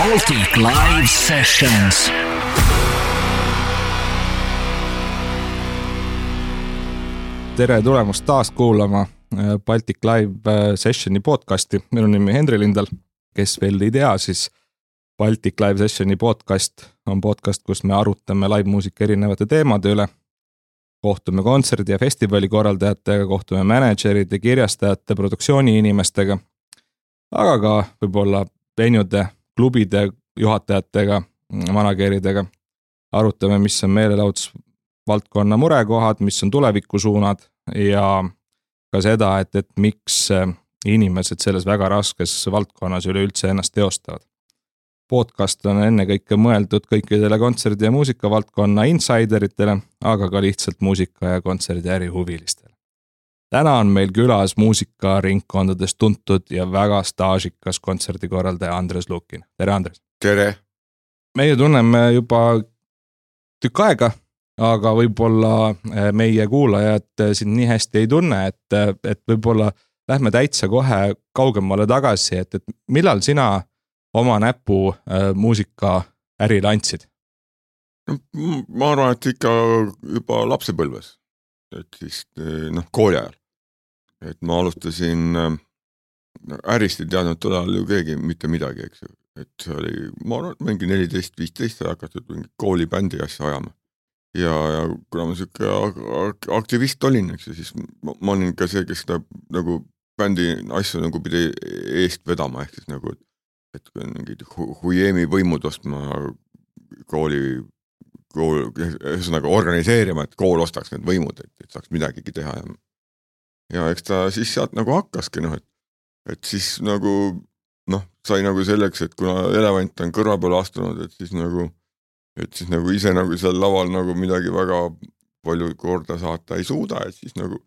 Baltic Live Sessions. Tere tulemast taas kuulama Baltic Live Sessioni podcasti. Minu nimi Henri Lindal. Kes veel ei tea, siis Baltic Live Sessioni podcast on podcast, kus me arutame live-muusika erinevate teemade üle. Kohtume kontserdi ja festivali korraldajatega, kohtume manageride, kirjastajate, produktsiooni inimestega, aga ka võib-olla venude, klubide juhatajatega, manageridega. Arutame, mis on meelelahutusvaldkonna murekohad, mis on tulevikusuunad ja ka seda, et miks inimesed selles väga raskes valdkonnas üleüldse ennast teostavad. Podcast on ennekõike mõeldud kõikidele kontserdi- ja muusikavaldkonna insideritele, aga ka lihtsalt muusika- ja kontserdi ärihuvilistele. Täna on meil külas muusikaringkondades tuntud ja väga staažikas kontserdikorraldaja Andres Lukin. Tere, Andres! Tere! Meie tunneme juba tükk aega, aga võib-olla meie kuulajad sind nii hästi ei tunne, et võib-olla lähme täitsa kohe kaugemale tagasi, et millal sina oma näpu muusika ärile andsid? No, ma arvan, et ikka juba lapsepõlves, et siis kooli ajal. Et ma alustasin, ärist ei teadnud tolal ju keegi mitte midagi, eks ju. Et see oli, ma arvan, et mingi 14-15 hakatud mingi koolibändi asja ajama. Ja kuna ma siuke aktivist olin, eks ju, siis ma olin ka see, kes seda nagu bändi asju nagu pidi eest vedama, ehk siis nagu et mingid huiemi võimud ostma ühesõnaga organiseerima, et kool ostaks need võimud, et saaks midagigi teha. Ja eks ta siis sealt nagu hakkaski, et siis nagu, sai nagu selleks, et kuna elevant on kõrva peale astunud, et siis nagu ise nagu seal laval nagu midagi väga palju korda saata ei suuda, et siis nagu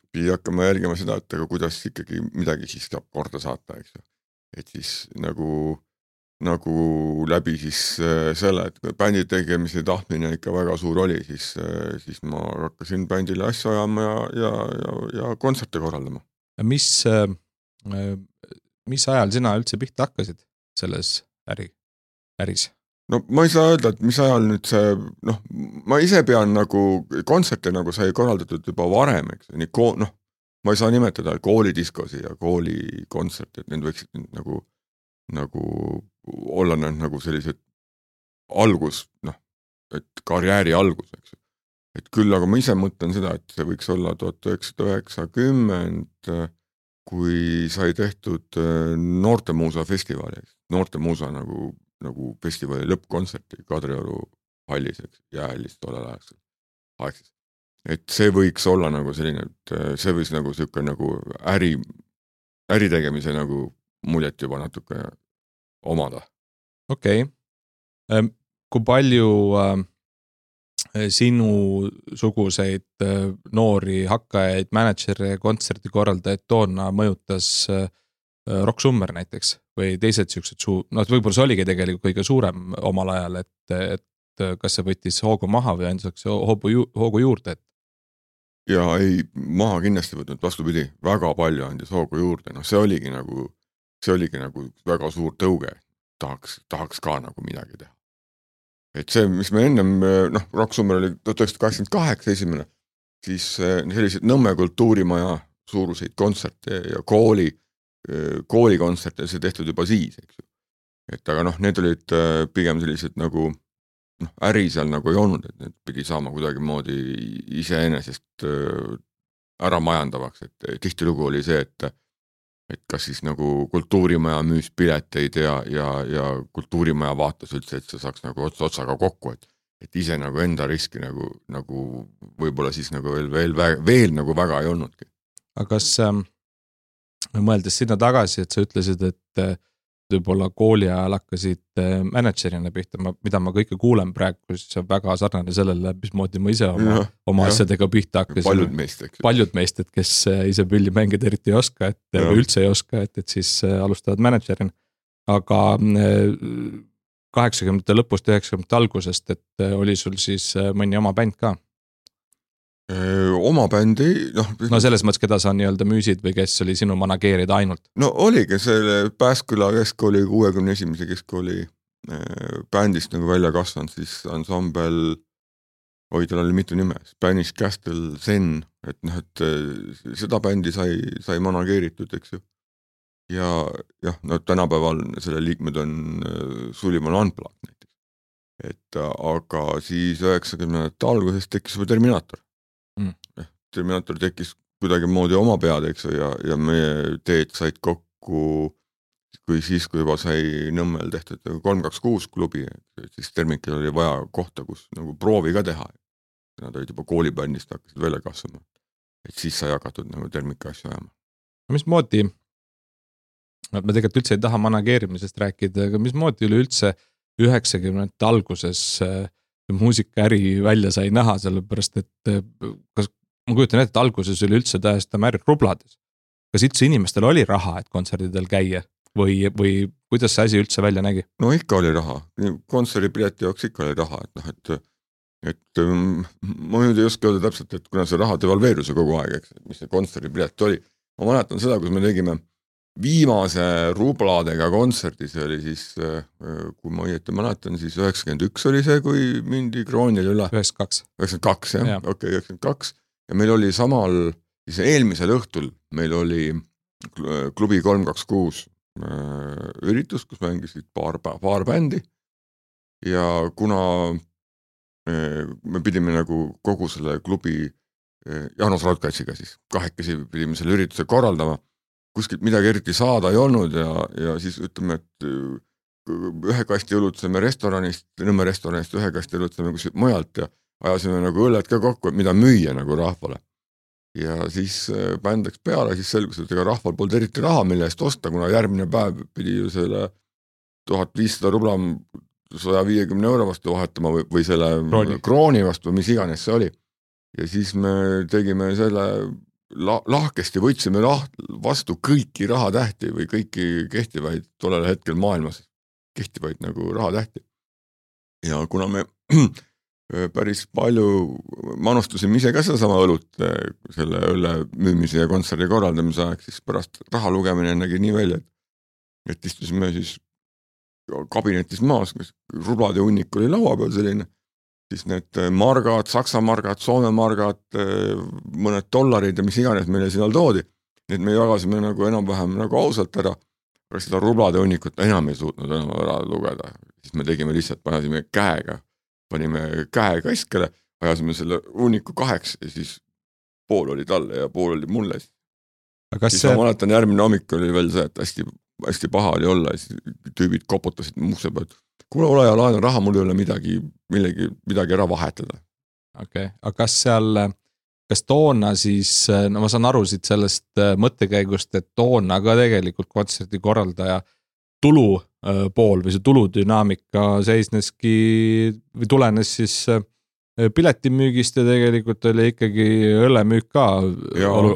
pidi hakkama jälgima seda, et aga kuidas ikkagi midagi siis saab korda saata, eks ju. Et siis nagu läbi siis selle, et bändi tegemise tahtmine ikka väga suur oli, siis ma hakkasin bändile asja ajama ja kontserte korraldama. Mis ajal sina üldse pihta hakkasid selles äris? No ma ei saa öelda, et mis ajal nüüd see, ma ise pean nagu kontserte nagu sai korraldatud juba varem, eks, ma ei saa nimetada koolidiskosi ja koolikontserte, et need võiksid nagu olla nagu sellised algus, et karjääri algus, eks. Et küll, aga ma ise mõtlen seda, et see võiks olla 1990, kui sai tehtud Noortemuusa festivali, Noortemuusa nagu festivali lõppkontserti Kadrioru hallis, eks, jäähallis tollel aegses. Et see võiks olla nagu selline, et see võiks nagu siuke nagu äritegemise nagu muljet juba natuke omada. Okei. Kui palju sinu suguseid noori hakkajaid, manager'e, kontserdikorraldajaid toona mõjutas Rock Summer näiteks või teised siuksed võib-olla see oligi tegelikult kõige suurem omal ajal, et kas see võttis hoogu maha või andis hoogu juurde? Ja ei, maha kindlasti võtnud, vastupidi, väga palju andis hoogu juurde. See oligi nagu väga suur tõuge, tahaks ka nagu midagi teha. Et see, mis me ennem, Rock Summer oli 1988 esimene, siis sellised Nõmme kultuurimaja suuruseid kontserte ja koolikontserte see tehtud juba siis, eks ju. Et aga need olid pigem sellised nagu äri seal nagu ei olnud, et need pidi saama kuidagi moodi iseenesest ära majandavaks, et tihtilugu oli see, et kas siis nagu kultuurimaja müüs pileteid ja kultuurimaja vaatas üldse, et see saaks nagu otsaga kokku, et ise nagu enda riski nagu võib-olla siis nagu veel nagu väga ei olnudki. Aga kas mõeldes sinna tagasi, et sa ütlesid, et võib-olla kooli ajal hakkasid managerina pihta, mida ma kõike kuulen praegu, siis on väga sarnane sellele, mismoodi ma ise oma asjadega pihta hakkasin. Paljud meist, et kes ise pülli mängida eriti ei oska, või üldse ei oska, et siis alustavad managerina. Aga 80. lõpust 90. algusest, et oli sul siis mõni oma bänd ka? Oma bändi, no selles mõttes, keda sa nii-öelda müüsid või kes oli sinu manageerida ainult? No oligi selle Pääsküla keskkooli 61. keskkooli bändist nagu välja kasvanud, siis ansambel, tal oli mitu nime, Spanish Castle Zen, et et seda bändi sai manageeritud, eks ju. Ja tänapäeval selle liikmed on Suliman Unplugged näiteks. Et aga siis 90. alguses tekkis juba Terminaator. Terminaator tekkis kuidagi moodi oma pead, eks ju, ja meie teed said kokku, kui juba sai Nõmmel tehtud 326 klubi, et siis Termikil oli vaja kohta, kus nagu proovi ka teha. Nad olid juba koolibändist hakkasid välja kasvama. Et siis sai jagatud nagu Termika asju ajama. Mismoodi, me tegelikult üldse ei taha manageerimisest rääkida, aga mismoodi üleüldse 90. alguses muusikaäri välja sai näha, sellepärast et ma kujutan ette, et alguses oli üldse täiesti määrid rublades. Kas üldse inimestel oli raha, et kontserdidel käia või kuidas see asi üldse välja nägi? No ikka oli raha, kontserdipileti jaoks ikka oli raha, et ma nüüd ei oska öelda täpselt, et kuna see raha devalveerus kogu aeg, eks, mis see kontserdipilet oli. Ma mäletan seda, kus me tegime viimase rubladega kontserdi, see oli siis, kui ma õieti mäletan, siis 91 oli see, kui mindi kroonil üle. 92. 92, jah, okei, 92. Ja meil oli samal, siis eelmisel õhtul meil oli klubi 326 üritus, kus mängisid paar bändi ja kuna me pidime nagu kogu selle klubi Jaanus Raudkatsiga siis kahekesi pidime selle ürituse korraldama, kuskilt midagi eriti saada ei olnud ja siis ütleme, et ühe kasti õlutseme restoranist, Nõmme restoranist, ühe kasti õlutseme kuskilt mujalt ja ajasime nagu õlled ka kokku, et mida müüa nagu rahvale. Ja siis bänd läks peale, siis selgus, et ega rahval polnud eriti raha, mille eest osta, kuna järgmine päev pidi ju selle 1500 rubla 150 euro vastu vahetama või selle krooni vastu, mis iganes see oli. Ja siis me tegime selle lahkesti, võtsime vastu kõiki rahatähti või kõiki kehtivaid tollel hetkel maailmas kehtivaid nagu rahatähti. Ja kuna me päris palju manustusime ise ka seda sama õlut selle õlle müümise ja kontserdi korraldamise aeg, siis pärast raha lugemine nägi nii välja, et istusime siis kabinetis maas, rublade hunnik oli laua peal selline, siis need margad, saksa margad, soome margad, mõned dollarid ja mis iganes meile sinna toodi, need me jagasime nagu enam-vähem nagu ausalt ära, aga seda rublade hunnikut enam ei suutnud enam ära lugeda, siis me tegime lihtsalt, panime käe keskele, ajasime selle hunniku 2 ja siis pool oli talle ja pool oli mulle. Siis ma mäletan, järgmine hommik oli veel see, et hästi paha oli olla ja siis tüübid koputasid muuse pealt. Kuule, ole ja laena raha, mul ei ole midagi ära vahetada. Okei, aga kas toona siis, no ma saan aru siit sellest mõttekäigust, et toona ka tegelikult kontserdi korraldaja tulu pool või see tuludünaamika seisneski või tulenes siis piletimüügist ja tegelikult oli ikkagi õllemüük ka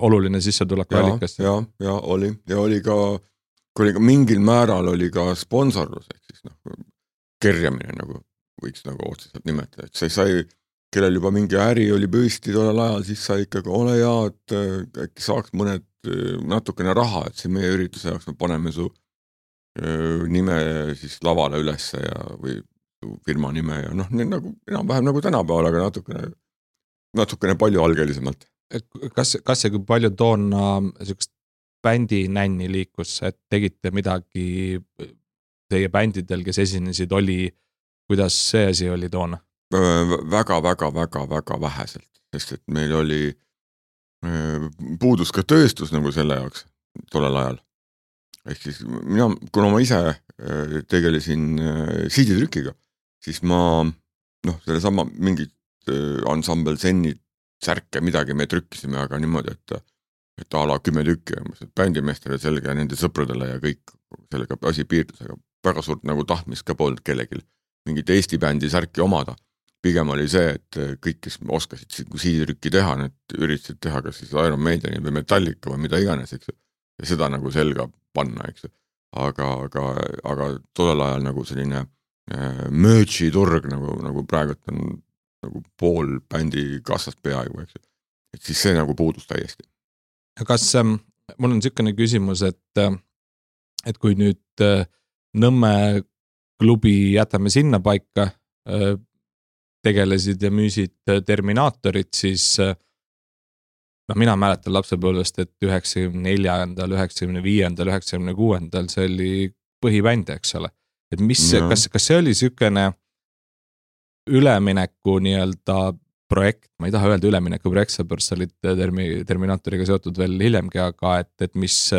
oluline sissetuleku allikas. Ja oli ka mingil määral oli ka sponsorlus, ehk siis kerjamine nagu võiks nagu otseselt nimetada, et see sai, kellel juba mingi äri oli püsti tollel ajal, siis sai ikkagi ole ja, et äkki saaks natukene raha, et see meie ürituse jaoks me paneme su nime siis lavale ülesse ja või firma nime ja nagu enam-vähem nagu tänapäeval, aga natukene palju algelisemalt. Kas ja kui palju toona sellist bändi nänni liikus, et tegite midagi teie bändidel, kes esinesid, kuidas see asi oli toona? Väga väheselt, sest et meil oli puudus ka tööstus nagu selle jaoks tollel ajal. Ehk siis kuna ma ise tegelesin CD-trükkiga, siis ma selle sama mingid ansambel Zenid särke midagi me trükkisime, aga niimoodi, et a la 10 tükki, bändimeestele selge ja nende sõpradele ja kõik sellega asi piirdus, aga väga suurt nagu tahtmist ka polnud kellegil mingit Eesti bändi särki omada. Pigem oli see, et kõik, kes oskasid CD-trükki teha, need üritasid teha kas siis Iron Maideni või Metallica või mida iganes, eks ju. Ja seda nagu selga panna, eks. Aga tollel ajal nagu selline merch'i turg nagu praegu on nagu pool bändi kassast peaaegu, eks. et siis see nagu puudus täiesti. Kas mul on niisugune küsimus, et kui nüüd Nõmme klubi jätame sinna paika, tegelesid ja müüsid Terminaatorit, siis mina mäletan lapsepõlvest, et 94., 95., 96. see oli põhibänd, eks ole. Et kas see oli niisugune ülemineku nii-öelda projekt, ma ei taha öelda ülemineku projekt, seepärast olid Terminaatoriga seotud veel hiljemgi, aga et mis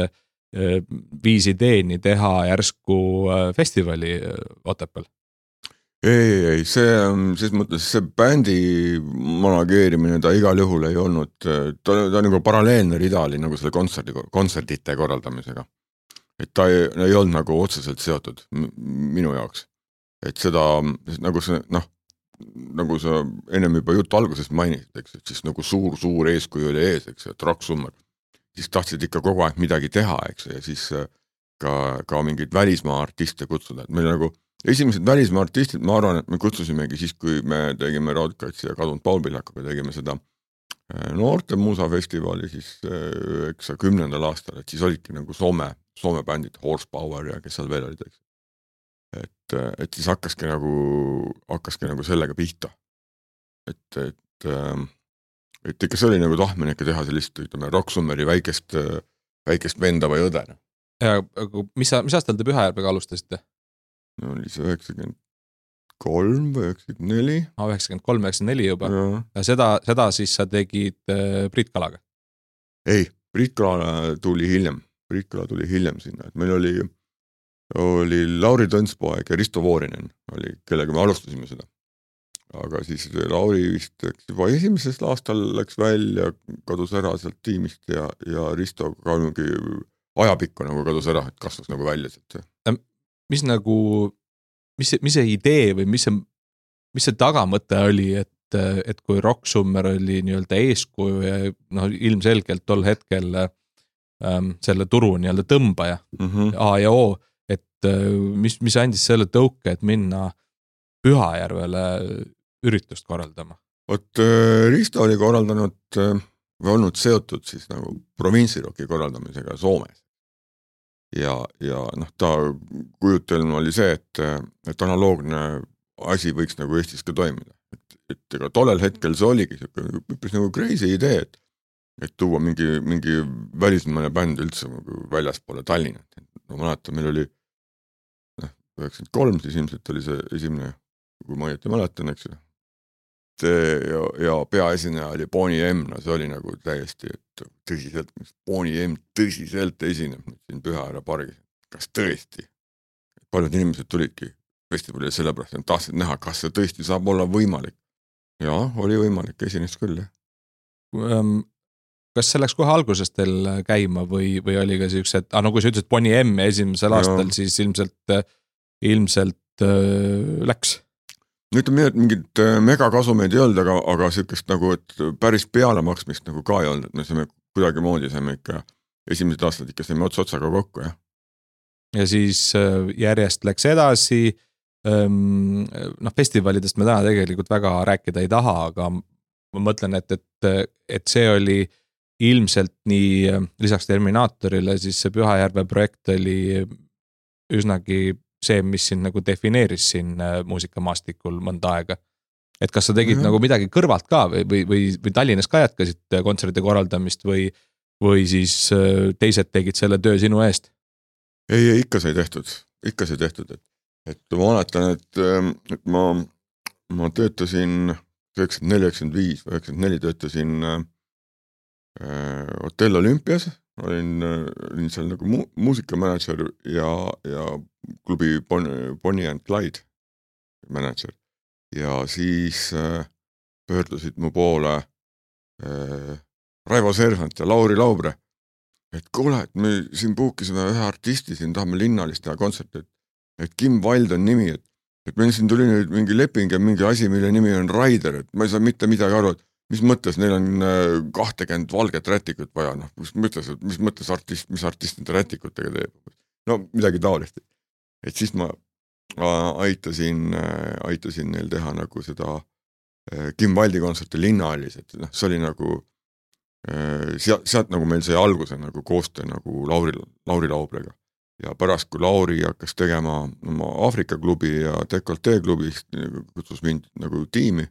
viis ideeni teha järsku festivali Otepääl? Ei, ses mõttes see bändi manageerimine ta igal juhul ei olnud, ta nagu paralleelne rida oli nagu selle kontserdite korraldamisega. Et ta ei olnud nagu otseselt seotud minu jaoks. Et seda nagu see, nagu sa ennem juba juttu algusest mainisid, eks, et siis nagu suur eeskuju oli ees, eks, et Rock Summer. Siis tahtsid ikka kogu aeg midagi teha, eks, ja siis ka mingeid välismaa artiste kutsuda. Et meil nagu esimesed välismaa artistid, ma arvan, et me kutsusimegi siis, kui me tegime Raudkatsi ja kadunud Paul Pihlakuga, tegime seda noorte muusafestivali siis 10. aastal, et siis olidki nagu Soome bändid, Horsepower ja kes seal veel olid, eks. Et siis hakkaski nagu sellega pihta. Et ikka see oli nagu tahtmine ikka teha sellist, ütleme, Rock Summeri väikest venda või õde. Ja mis aastal te Pühajärvega alustasite? No oli see 93 või 94. 93-94 juba. Ja seda siis sa tegid Priit Kalaga? Ei, Priit Kala tuli hiljem sinna. Et meil oli Lauri Tõnspoeg ja Risto Voorinen, kellega me alustasime seda. Aga siis Lauri vist juba esimesel aastal läks välja, kadus ära sealt tiimist ja Risto ka mingi ajapikku nagu kadus ära, et kasvas nagu välja sealt. Mis see idee või mis see tagamõte oli, et kui Rock Summer oli nii-öelda eeskuju ja ilmselgelt tol hetkel selle turu nii-öelda tõmbaja A ja O, et mis andis selle tõuke, et minna Pühajärvele üritust korraldama? Risto oli korraldanud või olnud seotud siis nagu provintsiroki korraldamisega Soomes. Ja ta kujutelm oli see, et analoogne asi võiks nagu Eestis ka toimida. Et ega tollel hetkel see oligi üpris nagu crazy idee, et tuua mingi välismaine bänd üldse väljaspoole Tallinna. Ma mäletan, meil oli 93, siis ilmselt oli see esimene, kui ma õieti mäletan, eks ju. Ja peaesineja oli Bonnie M, see oli nagu täiesti, et tõsiselt, mis Bonnie M tõsiselt esineb siin Pühajärve pargis. Kas tõesti? Paljud inimesed tulidki festivalile sellepärast, et tahtsid näha, kas see tõesti saab olla võimalik. Ja, oli võimalik, esines küll. Kas see läks kohe algusest teil käima või oli ka sellised, kui sa ütlesid Bonnie M esimesel aastal, siis ilmselt läks? Ütleme, et mingid megakasumeid ei olnud, aga sellist nagu, et päris peale maksmist nagu ka ei olnud, et me saime kuidagi moodi, saime ikka esimesed aastad ikka saime otsaga kokku, jah. Ja siis järjest läks edasi, festivalidest me täna tegelikult väga rääkida ei taha, aga ma mõtlen, et see oli ilmselt nii lisaks Terminaatorile, siis see Pühajärve projekt oli üsnagi see, mis siin nagu defineeris siin muusikamaastikul mõnda aega. Et kas sa tegid nagu midagi kõrvalt ka või Tallinnas ka jätkasid kontserdite korraldamist või siis teised tegid selle töö sinu eest? Ei, ikka sai tehtud. Et ma mäletan, et ma töötasin 94 või 94 töötasin Hotell Olümpias, olin seal nagu muusikamanager ja klubi Bonnie and Clyde manager. Ja siis pöördusid mu poole Raivo Sersant ja Lauri Laubre, et kuule, et me siin puukisime ühe artisti, siin tahame linnalist teha kontserti, et Kim Wild on nimi, et meil siin tuli nüüd mingi leping ja mingi asi, mille nimi on Raider, et ma ei saa mitte midagi aru, et mis mõttes neil on 20 valget rätikut vaja, mis mõttes mis artist nende rätikutega teeb. No midagi taolist. Et siis ma aitasin neil teha nagu seda Kim Wildi kontserti linnahallis, et see oli nagu sealt nagu meil sai alguse nagu koostöö nagu Lauri Laublega ja pärast, kui Lauri hakkas tegema oma Aafrika klubi ja Decoltee klubist, kutsus mind nagu tiimi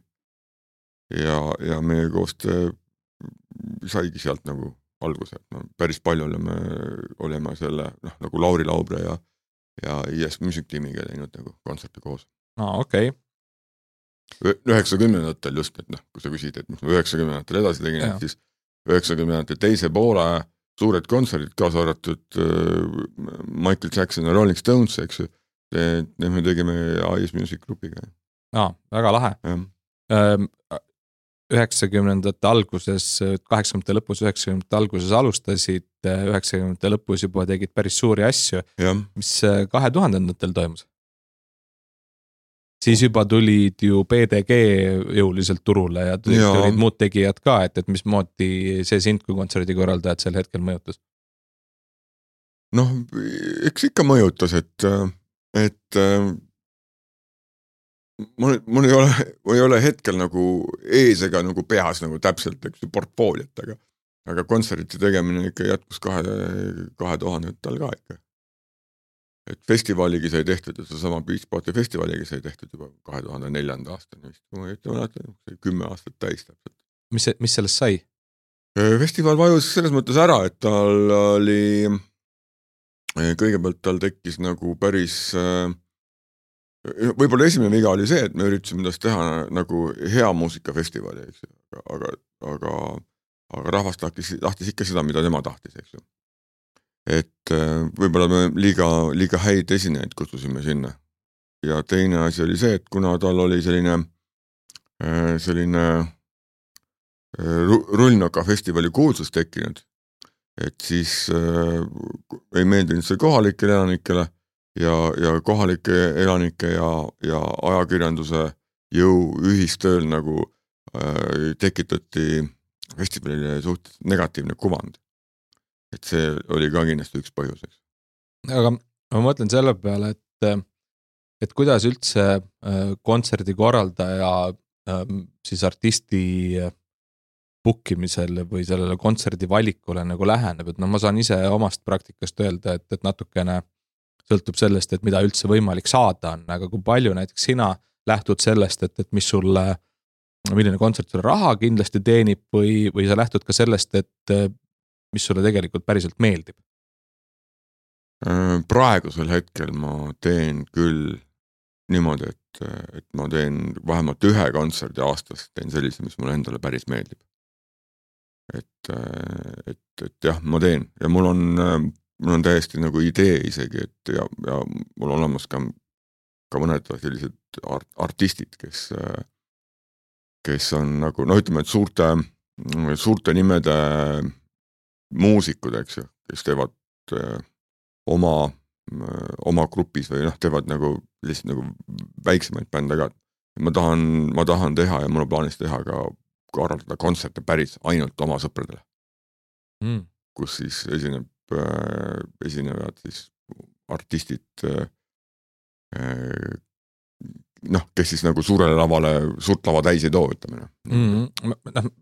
ja meie koostöö saigi sealt nagu alguse, no päris palju oleme selle nagu Lauri Laubre ja IS Music tiimiga teinud nagu kontserte koos. Okei. 90-ndatel just, et kui sa küsid, et mis ma 90-ndatel edasi tegin, siis 90-ndate teise poole suured kontserdid, kaasa arvatud Michael Jackson ja Rolling Stones, eks ju, need me tegime IS Music grupiga. Väga lahe. 90-ndate alguses, 80-ndate lõpus, 90-ndate alguses alustasid, 90-ndate lõpus juba tegid päris suuri asju. Mis 2000-ndatel toimus? Siis juba tulid ju PDG jõuliselt turule ja tulid muud tegijad ka, et mis moodi see sind kui kontserdikorraldajad sel hetkel mõjutas? Eks ikka mõjutas, et mul ei ole hetkel nagu ees ega nagu peas nagu täpselt portfooliot, aga kontserdite tegemine ikka jätkus 2000-ndatel ka ikka. Et festivaligi sai tehtud ja sama Beach Party festivaliga sai tehtud juba 2004. aastani vist, kui ma ei mäleta, 10 aastat täis täpselt. Mis sellest sai? Festival vajus selles mõttes ära, et tal oli, kõigepealt tal tekkis nagu päris, võib-olla esimene viga oli see, et me üritasime endast teha nagu hea muusikafestivali, eks ju, aga rahvas tahtis ikka seda, mida tema tahtis, eks ju. Et võib-olla me liiga häid esinejaid kutsusime sinna. Ja teine asi oli see, et kuna tal oli selline Rullnoka festivali kuulsus tekkinud, et siis ei meeldinud see kohalikele elanikele ja kohalike elanike ja ajakirjanduse jõu ühistööl nagu tekitati festivalile suht negatiivne kuvand. Et see oli ka kindlasti üks põhjuseks. Aga ma mõtlen selle peale, et kuidas üldse kontserdi korraldaja siis artisti bookimisel või sellele kontserdi valikule nagu läheneb, et ma saan ise omast praktikast öelda, et natukene sõltub sellest, et mida üldse võimalik saada on, aga kui palju näiteks sina lähtud sellest, et milline kontsert sulle raha kindlasti teenib või sa lähtud ka sellest, et mis sulle tegelikult päriselt meeldib? Praegusel hetkel ma teen küll niimoodi, et ma teen vähemalt ühe kontserdi aastas, teen sellise, mis mulle endale päris meeldib. Et jah, ma teen ja mul on täiesti nagu idee isegi, et ja mul on olemas ka mõned sellised artistid, kes on nagu, ütleme, et suurte nimede muusikud, eks ju, kes teevad oma grupis või teevad nagu lihtsalt nagu väiksemaid bände ka. Ma tahan teha ja mul on plaanis teha ka korraldada kontserte päris ainult oma sõpradele. Kus siis esinevad siis artistid, kes siis nagu suurele lavale suurt lava täis ei too, ütleme.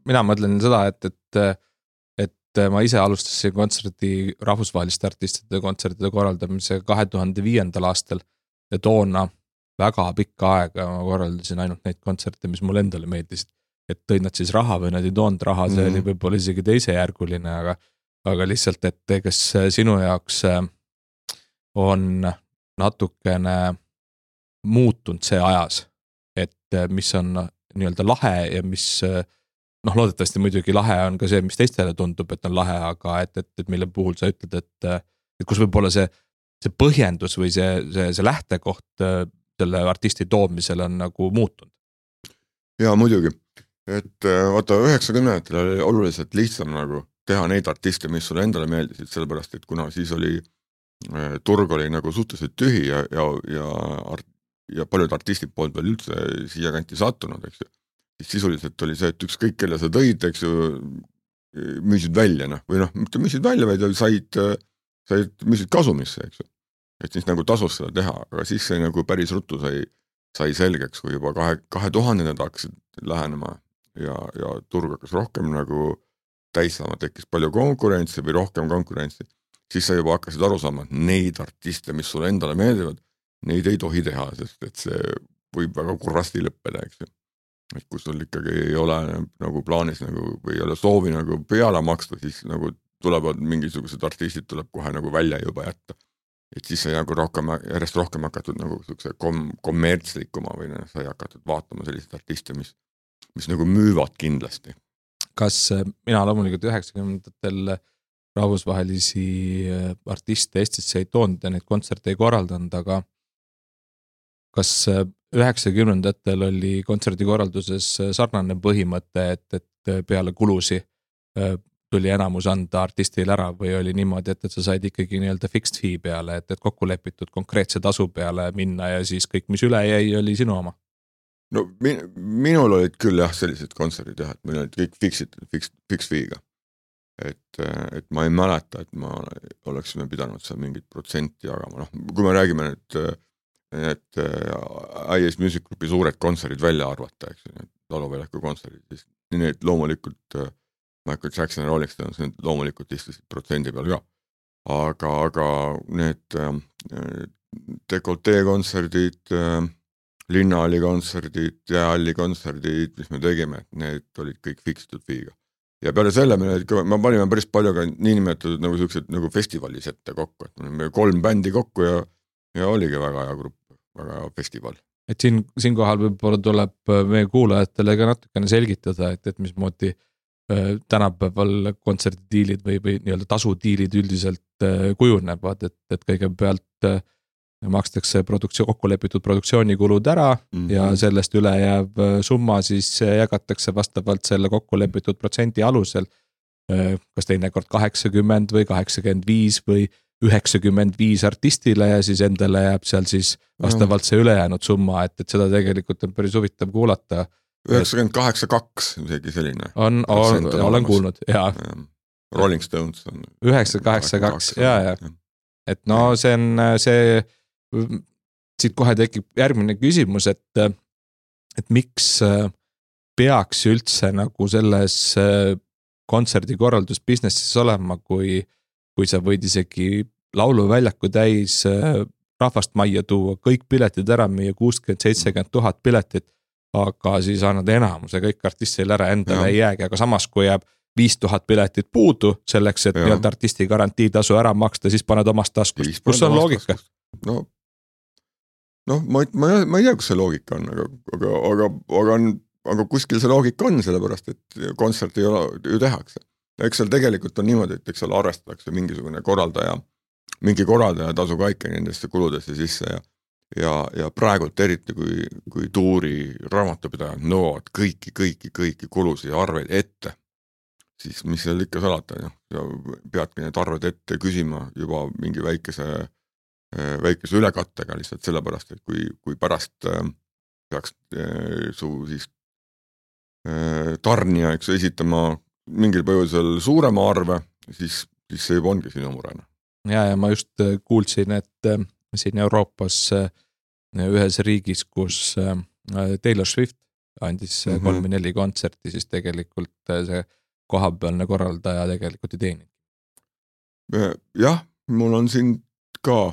Mina mõtlen seda, et ma ise alustasin rahvusvaheliste artistide kontserdide korraldamise 2005. aastal ja toona väga pikka aega ma korraldasin ainult neid kontserte, mis mulle endale meeldisid. Et tõid nad siis raha või nad ei toonud raha, see oli võib-olla isegi teisejärguline, aga lihtsalt, et kas sinu jaoks on natukene muutunud see ajas, et mis on nii-öelda lahe ja mis loodetavasti muidugi lahe on ka see, mis teistele tundub, et on lahe, aga et mille puhul sa ütled, et kus võib-olla see põhjendus või see lähtekoht selle artisti toomisel on nagu muutunud. Jaa, muidugi. Et vaata 90-ndatel oli oluliselt lihtsam nagu teha neid artiste, mis sulle endale meeldisid, sellepärast, et kuna siis turg oli nagu suhteliselt tühi ja paljud artistid polnud veel üldse siia kanti sattunud, eks ju. Siis sisuliselt oli see, et ükskõik kelle sa tõid, eks ju, müüsid välja, või mitte müüsid välja, vaid müüsid kasumisse, eks ju. Et siis nagu tasus seda teha, aga siis see nagu päris ruttu sai selgeks, kui juba 2000-ndad hakkasid lähenema ja turg hakkas rohkem nagu täis saama, tekkis palju konkurentsi või rohkem konkurentsi, siis sa juba hakkasid aru saama, et neid artiste, mis sulle endale meeldivad, neid ei tohi teha, sest et see võib väga kurvasti lõppeda, eks ju. Et kui sul ikkagi ei ole nagu plaanis nagu, või ei ole soovi nagu peale maksta, siis nagu tulevad mingisugused artistid tuleb kohe nagu välja juba jätta. Et siis sa nagu järjest rohkem hakatud nagu kommertslikuma või sa ei hakatud vaatama sellised artiste, mis nagu müüvad kindlasti. Kas mina loomulikult 90-ndatel rahvusvahelisi artiste Eestisse ei toonud ja neid kontserte ei korraldanud, aga kas 90-ndatel oli kontserdikorralduses sarnane põhimõte, et peale kulusi tuli enamus anda artistile ära või oli niimoodi, et sa said ikkagi nii-öelda fixed fee peale, et kokku lepitud konkreetse tasu peale minna ja siis kõik, mis üle jäi, oli sinu oma? No minul olid küll jah sellised kontserdid jah, et meil olid kõik fixed fee'ga. Et ma ei mäleta, et ma oleksime pidanud seal mingit protsenti jagama. No, kui me räägime nüüd et IS Music Groupi suured kontserdid välja arvata, eks ju, Lauluväljaku kontserdid, siis need loomulikult Michael Jackson ja Rolling Stones, need loomulikult istusid protsendi peal ka. Aga need Dekoltee kontserdid, Linnahalli kontserdid, Jäähalli kontserdid, mis me tegime, need olid kõik fixed fee'ga. Ja peale selle me panime päris palju ka niinimetatud nagu sellised nagu festivalis ette kokku, et me 3 bändi kokku ja oligi väga hea grupp, väga hea festival. Et siinkohal võib-olla tuleb meie kuulajatele ka natukene selgitada, et mismoodi tänapäeval kontserdidiilid või nii-öelda tasudiilid üldiselt kujunevad, et kõigepealt makstakse kokku lepitud produktsioonikulud ära ja sellest üle jääb summa siis jagatakse vastavalt selle kokku lepitud protsendi alusel, kas teinekord 80 või 85 või 95 artistile ja siis endale jääb seal siis vastavalt see ülejäänud summa, et seda tegelikult on päris huvitav kuulata. 98-2 isegi selline. Olen kuulnud, jaa. Rolling Stones on 9-8-2, jaa. Et no see on see, siit kohe tekib järgmine küsimus, et miks peaks üldse nagu selles kontserdikorraldusbusinessis olema, kui sa võid isegi lauluväljaku täis rahvast majja tuua, kõik piletid ära müüa, 60-70 000 piletit, aga siis annad enamuse kõik artistile ära, endale ei jäägi, aga samas kui jääb 5000 piletit puudu selleks, et nii-öelda artisti garantiitasu ära maksta, siis paned omast taskust. Kus on loogika? No ma ei tea, kus see loogika on, aga kuskil see loogika on, sellepärast, et kontsert ei ole, ju tehakse. Eks seal tegelikult on niimoodi, et eks seal arvestatakse mingisugune mingi korraldaja tasu kaikki nendesse kuludesse sisse ja praegult eriti, kui tuuri raamatupidajad nõuavad kõiki kulusid ja arveid ette, siis mis seal ikka salata, ja peadki need arved ette küsima juba mingi väikese ülekattega lihtsalt sellepärast, et kui pärast peaks su siis tarnija, eks esitama mingil põhjusel suurema arve, siis see juba ongi sinu murena. Ja ma just kuulsin, et siin Euroopas ühes riigis, kus Taylor Swift andis 3-4 kontserti, siis tegelikult see kohapealne korraldaja tegelikult ei teeni. Jah, mul on siin ka,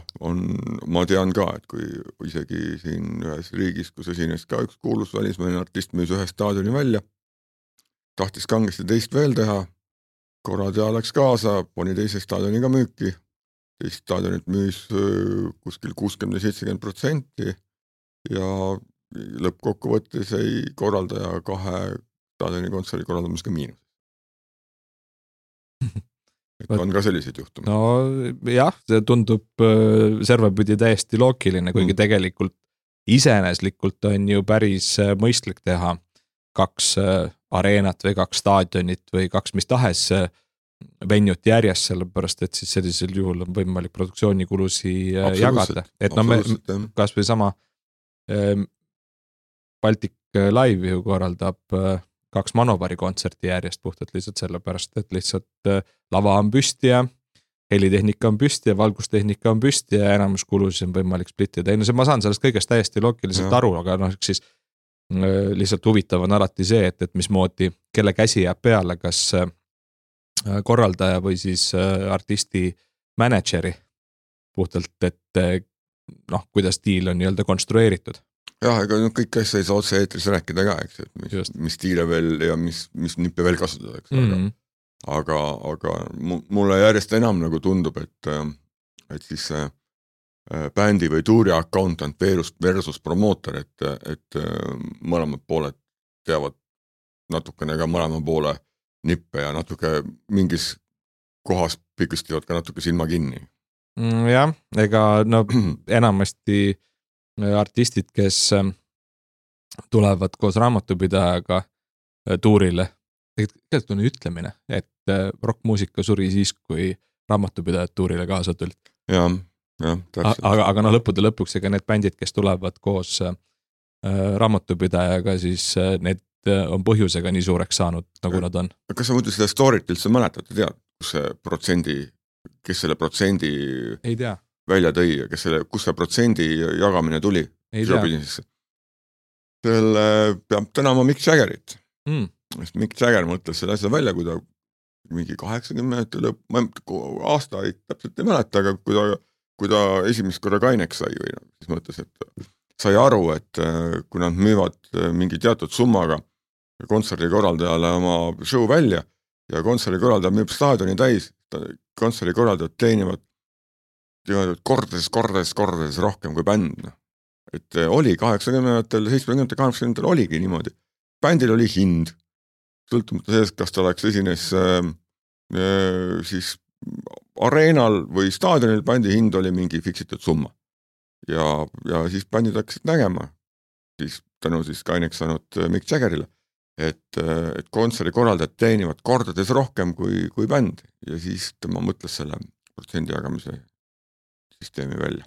ma tean ka, et kui isegi siin ühes riigis, kus esines ka üks kuulus välismaine artist müüs ühe staadioni välja, tahtis kangesti teist veel teha, korraldaja läks kaasa, pani teise staadioniga müüki, teist staadionit müüs kuskil 60-70% ja lõppkokkuvõttes ei korraldaja 2 staadioni kontserdi korraldamas ka miinus. Et on ka sellised juhtumid. No jah, see tundub servapidi täiesti loogiline, kuigi tegelikult iseeneslikult on ju päris mõistlik teha 2 areenat või 2 staadionit või 2 mis tahes venjut järjest, sellepärast et siis sellisel juhul on võimalik produktsioonikulusi jagada. Et no me kas või sama Baltic Live ju korraldab 2 Manovari kontserti järjest puhtalt lihtsalt sellepärast, et lihtsalt lava on püsti ja helitehnika on püsti ja valgustehnika on püsti ja enamus kulusid on võimalik splittida. Ma saan sellest kõigest täiesti loogiliselt aru, aga siis lihtsalt huvitav on alati see, et mismoodi, kelle käsi jääb peale, kas korraldaja või siis artisti mänedžeri puhtalt, et noh, kuidas diil on nii-öelda konstrueeritud. Jah, ega kõik asja ei saa otse eetris rääkida ka, eks, et mis diile veel ja mis nippe veel kasutada, eks. Aga mulle järjest enam nagu tundub, et siis bändi või tuuri accountant versus promootor, et mõlemad pooled teavad natukene ka mõlema poole nippe ja natuke mingis kohas pikistivad ka natuke silma kinni. Jah, ega no enamasti artistid, kes tulevad koos raamatupidajaga tuurile, tegelikult on ütlemine, et rockmuusika suri siis, kui raamatupidajad tuurile kaasa tulid. Jah, täpselt. Aga no lõppude lõpuks, ega need bändid, kes tulevad koos raamatupidajaga, siis need on põhjusega nii suureks saanud, nagu nad on. Kas sa muidu seda story't üldse mäletad, tead, kes selle protsendi ei tea. Välja tõi ja kus see protsendi jagamine tuli? Ei tea. Selle peab tänama Mick Jaggerit. Mick Jagger mõtles selle asja välja, kui ta mingi 80 lõpp, aasta ei täpselt ei mäleta, aga kui ta esimest korra kaineks sai või siis mõtles, et sai aru, et kui nad müüvad mingi teatud summaga kontserdikorraldajale oma show välja ja kontserdikorraldaja müüb staadioni täis, kontserdikorraldajad teenivad kordades rohkem kui bänd. Et oli 80-ndatel, 70-ndatel, 80-ndatel oligi niimoodi. Bändil oli hind, sõltumata sellest, kas ta oleks esines siis areenal või staadionil, bändi hind oli mingi fiksitud summa. Ja siis bändid hakkasid nägema, siis tänu siis kaineks saanud Mick Jaggerile, et kontserdikorraldajad teenivad kordades rohkem kui bänd ja siis tema mõtles selle protsendi jagamise süsteemi välja.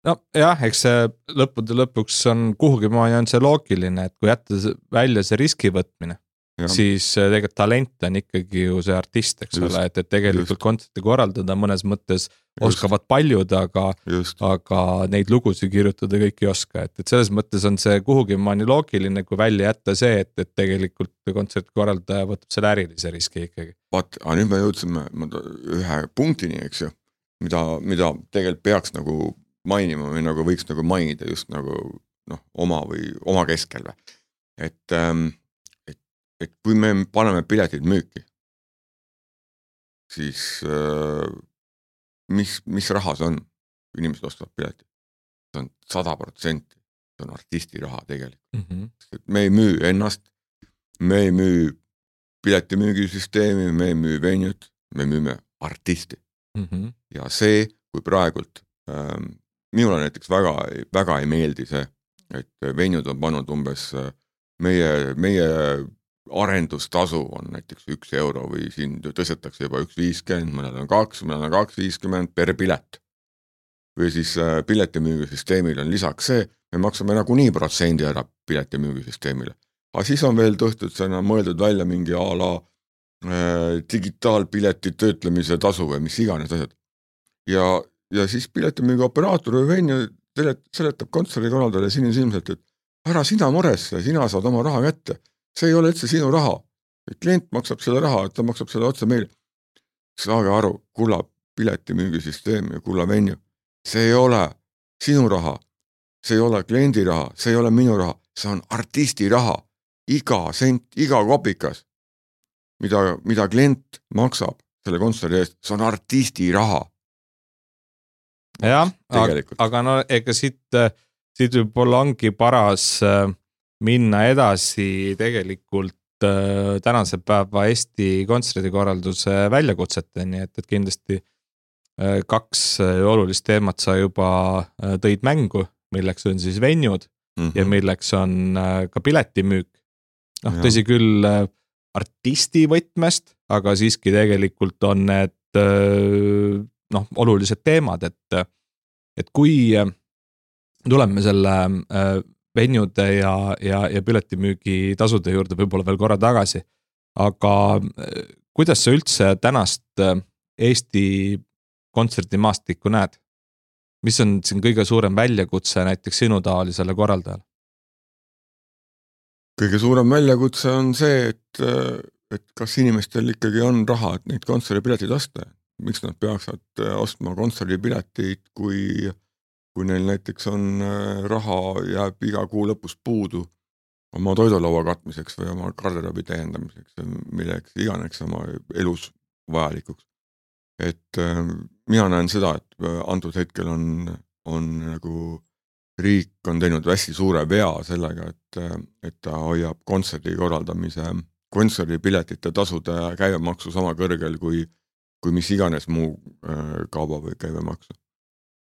No jah, eks see lõppude lõpuks on kuhugi maani on see loogiline, et kui jätta välja see riski võtmine, siis tegelikult talent on ikkagi ju see artist, eks ole, et tegelikult kontserti korraldada mõnes mõttes oskavad paljud, aga neid lugusid kirjutada kõik ei oska, et selles mõttes on see kuhugi maani loogiline, kui välja jätta see, et tegelikult kontserti korraldaja võtab selle ärilise riski ikkagi. Aga nüüd me jõudsime ühe punktini, eks ju, mida tegelikult peaks nagu mainima või nagu võiks nagu mainida just nagu oma keskel. Et kui me paneme piletid müüki, siis mis raha see on, kui inimesed ostavad piletid? See on 100%, see on artisti raha tegelikult. Me ei müü ennast, me ei müü piletimüügisüsteemi, me ei müü venued, me müüme artisti. Ja see, kui praegult minule näiteks väga ei meeldi see, et venued on pannud umbes meie arendustasu on näiteks 1 euro või siin tõstetakse juba 1,50, mõned on 2, mõned on 2,50 per pilet. Või siis piletimüügisüsteemil on lisaks see, me maksame nagunii protsendi ära piletimüügisüsteemile. Aga siis on veel mõeldud välja mingi a la digitaalpileti töötlemise tasu või mis iganes asjad. Ja siis piletimüügi operaator või venju seletab kontserdikorraldajale silmselt, et ära sina muresse, sina saad oma raha kätte. See ei ole üldse sinu raha. Klient maksab selle raha, ta maksab selle otse meile. Saage aru, kulla piletimüügisüsteem ja kulla venju. See ei ole sinu raha, see ei ole kliendi raha, see ei ole minu raha, see on artisti raha. Iga sent, iga kopikas, mida klient maksab selle kontserdi eest, see on artisti raha. Jah, aga no ega siit võib-olla ongi paras minna edasi tegelikult tänase päeva Eesti kontserdikorralduse väljakutseteni, et kindlasti 2 olulist teemat sa juba tõid mängu, milleks on siis venued ja milleks on ka piletimüük. Tõsi küll artisti võtmest, aga siiski tegelikult on need olulised teemad, et kui tuleme selle venude ja piletimüügi tasude juurde võib-olla veel korra tagasi, aga kuidas sa üldse tänast Eesti kontserdimaastikku näed? Mis on siin kõige suurem väljakutse näiteks sinu taolisele korraldajale? Kõige suurem väljakutse on see, et et kas inimestel ikkagi on raha, et neid kontserdipiletid osta, miks nad peaksid ostma kontserdipileteid, kui neil näiteks on raha, jääb iga kuu lõpus puudu oma toidulaua katmiseks või oma garderoobi täiendamiseks, milleks iganes oma elus vajalikuks. Et mina näen seda, et antud hetkel on nagu riik on teinud hästi suure vea sellega, et ta hoiab kontserdi korraldamise, kontserdipiletite tasude käibemaksu sama kõrgel kui mis iganes muu kauba või käibemaksu.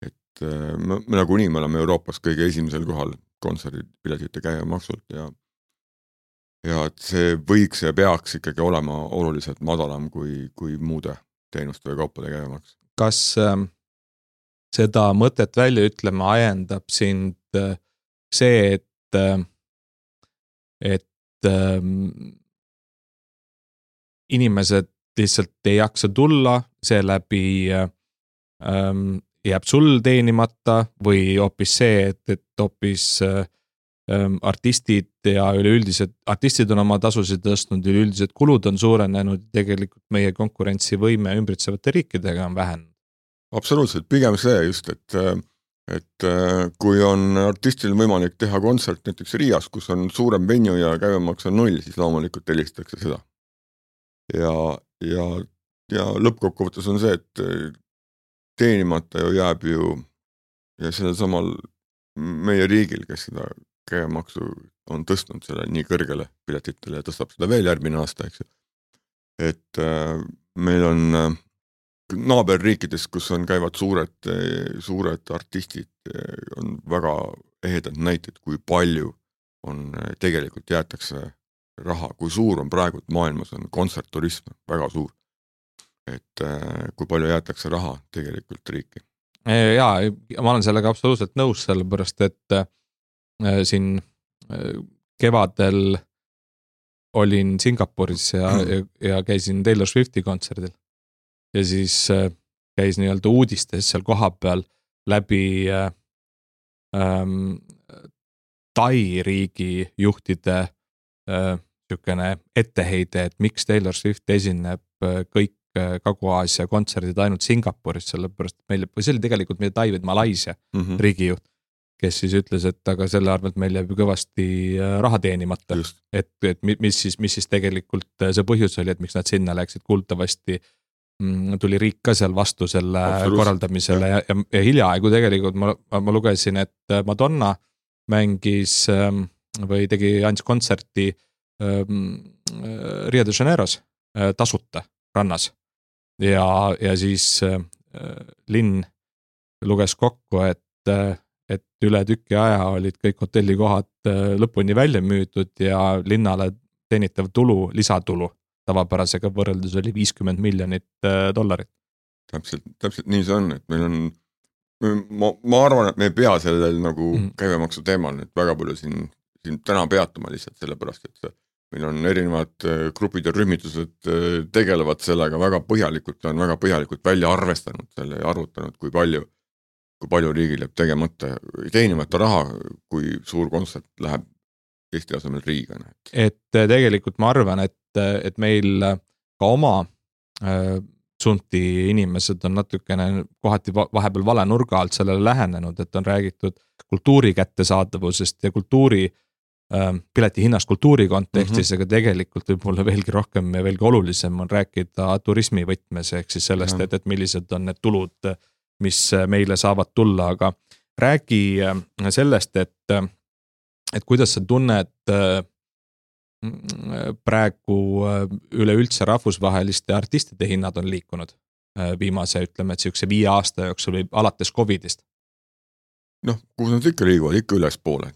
Et me nagunii me oleme Euroopas kõige esimesel kohal kontserdipiletite käibemaksult ja et see võiks ja peaks ikkagi olema oluliselt madalam kui muude teenuste või kaupade käibemaks. Kas seda mõtet välja ütlema ajendab sind see, et inimesed lihtsalt ei jaksa tulla, seeläbi jääb sul teenimata või hoopis see, et hoopis artistid ja üleüldised, artistid on oma tasusid tõstnud, üleüldised kulud on suurenenud, tegelikult meie konkurentsivõime ümbritsevate riikidega on vähenenud. Absoluutselt, pigem see just, et kui on artistil võimalik teha kontsert näiteks Riias, kus on suurem venue ja käibemaks on 0, siis loomulikult helistatakse seda. Ja lõppkokkuvõttes on see, et teenimata jääb ju ja sellel samal meie riigil, kes seda käibemaksu on tõstnud selle nii kõrgele piletitele ja tõstab seda veel järgmine aasta, eks ju. Et meil on naaberriikides, kus käivad suured artistid, on väga ehedad näited, kui palju on tegelikult jäetakse raha, kui suur on praegu maailmas on kontsertturism, väga suur. Et kui palju jäetakse raha tegelikult riiki. Jaa, ma olen sellega absoluutselt nõus, sellepärast, et siin kevadel olin Singapuris ja käisin Taylor Swifti kontserdil. Ja siis käis nii-öelda uudistes seal kohapeal läbi Tai riigi juhtide niisugune etteheide, et miks Taylor Swift esineb kõik Kagu-Aasia kontserdid ainult Singapuris, sellepärast meil, või see oli tegelikult meie Tai või Malaisia riigijuht, kes siis ütles, et aga selle arvelt meil jääb kõvasti raha teenimata. Et mis siis tegelikult see põhjus oli, et miks nad sinna läksid, kuultavasti tuli riik ka seal vastu selle korraldamisele ja hiljaaegu tegelikult ma lugesin, et Madonna mängis või andis kontserti Rio de Janeiros tasuta rannas ja siis linn luges kokku, et üle tüki aja olid kõik hotellikohad lõpuni välja müüdud ja linnale teenitav tulu, lisatulu tavapärasega võrreldes oli $50 miljonit. Täpselt nii see on, et meil on, ma arvan, et me ei pea sellel nagu käibemaksu teemal nüüd väga palju siin täna peatuma lihtsalt sellepärast, et meil on erinevad grupid ja rühmitused tegelevad sellega väga põhjalikult välja arvestanud selle ja arvutanud, kui palju riigil jääb teenimata raha, kui suur kontsert läheb Eesti asemel riiga. Et tegelikult ma arvan, et meil ka oma sunti inimesed on natukene kohati vahepeal vale nurga alt sellele lähenenud, et on räägitud kultuuri kättesaadavusest ja kultuuri pileti hinnast kultuuri kontekstis, aga tegelikult võib-olla veelgi rohkem ja veelgi olulisem on rääkida turismi võtmes, ehk siis sellest, et millised on need tulud, mis meile saavad tulla, aga räägi sellest, et kuidas sa tunned praegu üleüldse rahvusvaheliste artistide hinnad on liikunud viimase, ütleme, et siukse 5 aasta jooksul või alates COVIDist? Kus nad ikka liiguvad, ikka üles poole.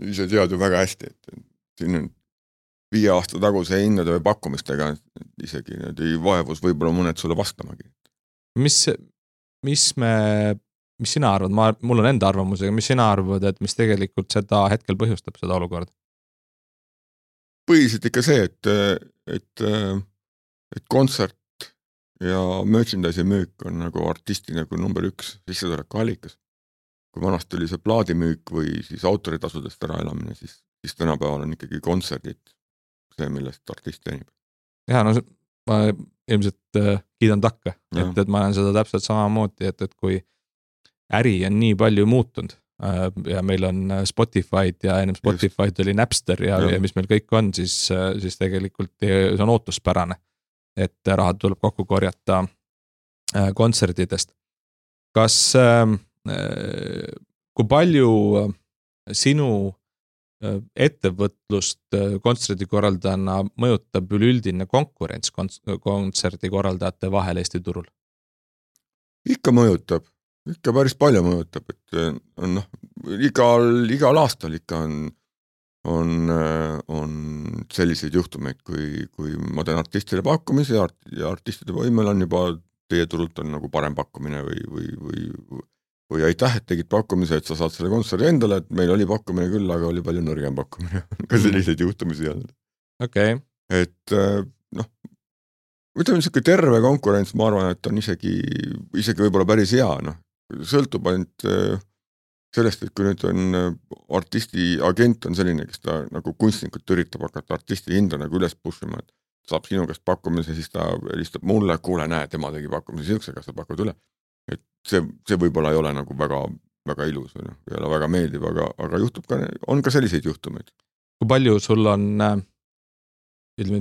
Ise tead ju väga hästi, et siin on 5 aasta taguse hinnade või pakkumistega isegi need ei vaevus võib-olla mõned sulle vastamagi. Mis sina arvad, mul on enda arvamusega, mis sina arvad, et mis tegelikult seda hetkel põhjustab seda olukorda? Põhiliselt ikka see, et kontsert ja merchandise müük on nagu artisti nagu number 1 sissetuleku allikas. Kui vanasti oli see plaadimüük või siis autoritasudest ära elamine, siis tänapäeval on ikkagi kontserdid see, millest artist teenib. Ja no ma ilmselt kiidan takka, et ma olen seda täpselt samamoodi, et kui äri on nii palju muutunud ja meil on Spotify'd ja ennem Spotify'd oli Napster ja mis meil kõik on, siis tegelikult see on ootuspärane, et rahad tuleb kokku korjata kontserdidest. Kas, kui palju sinu ettevõtlust kontserdikorraldajana mõjutab üleüldine konkurents kontserdikorraldajate vahel Eesti turul? Ikka mõjutab, ikka päris palju mõjutab, et igal aastal ikka on selliseid juhtumeid, kui ma teen artistile pakkumise ja artistide võimel on juba teie turult on nagu parem pakkumine või aitäh, et tegid pakkumise, et sa saad selle kontserdi endale, et meil oli pakkumine küll, aga oli palju nõrgem pakkumine. Ka selliseid juhtumisi olnud. Okay. Et ütleme niisugune terve konkurents, ma arvan, et on isegi võib-olla päris hea. Sõltub ainult sellest, et kui nüüd on artisti agent on selline, kes ta nagu kunstnikult üritab hakata artisti hinda nagu üles pushima, et saab sinu käest pakkumise, siis ta helistab mulle, kuule, näe, tema tegi pakkumise siukse, kas sa pakud üle. Et see võib-olla ei ole nagu väga, väga ilus või ei ole väga meeldiv, aga juhtub ka, on ka selliseid juhtumeid. Kui palju sul on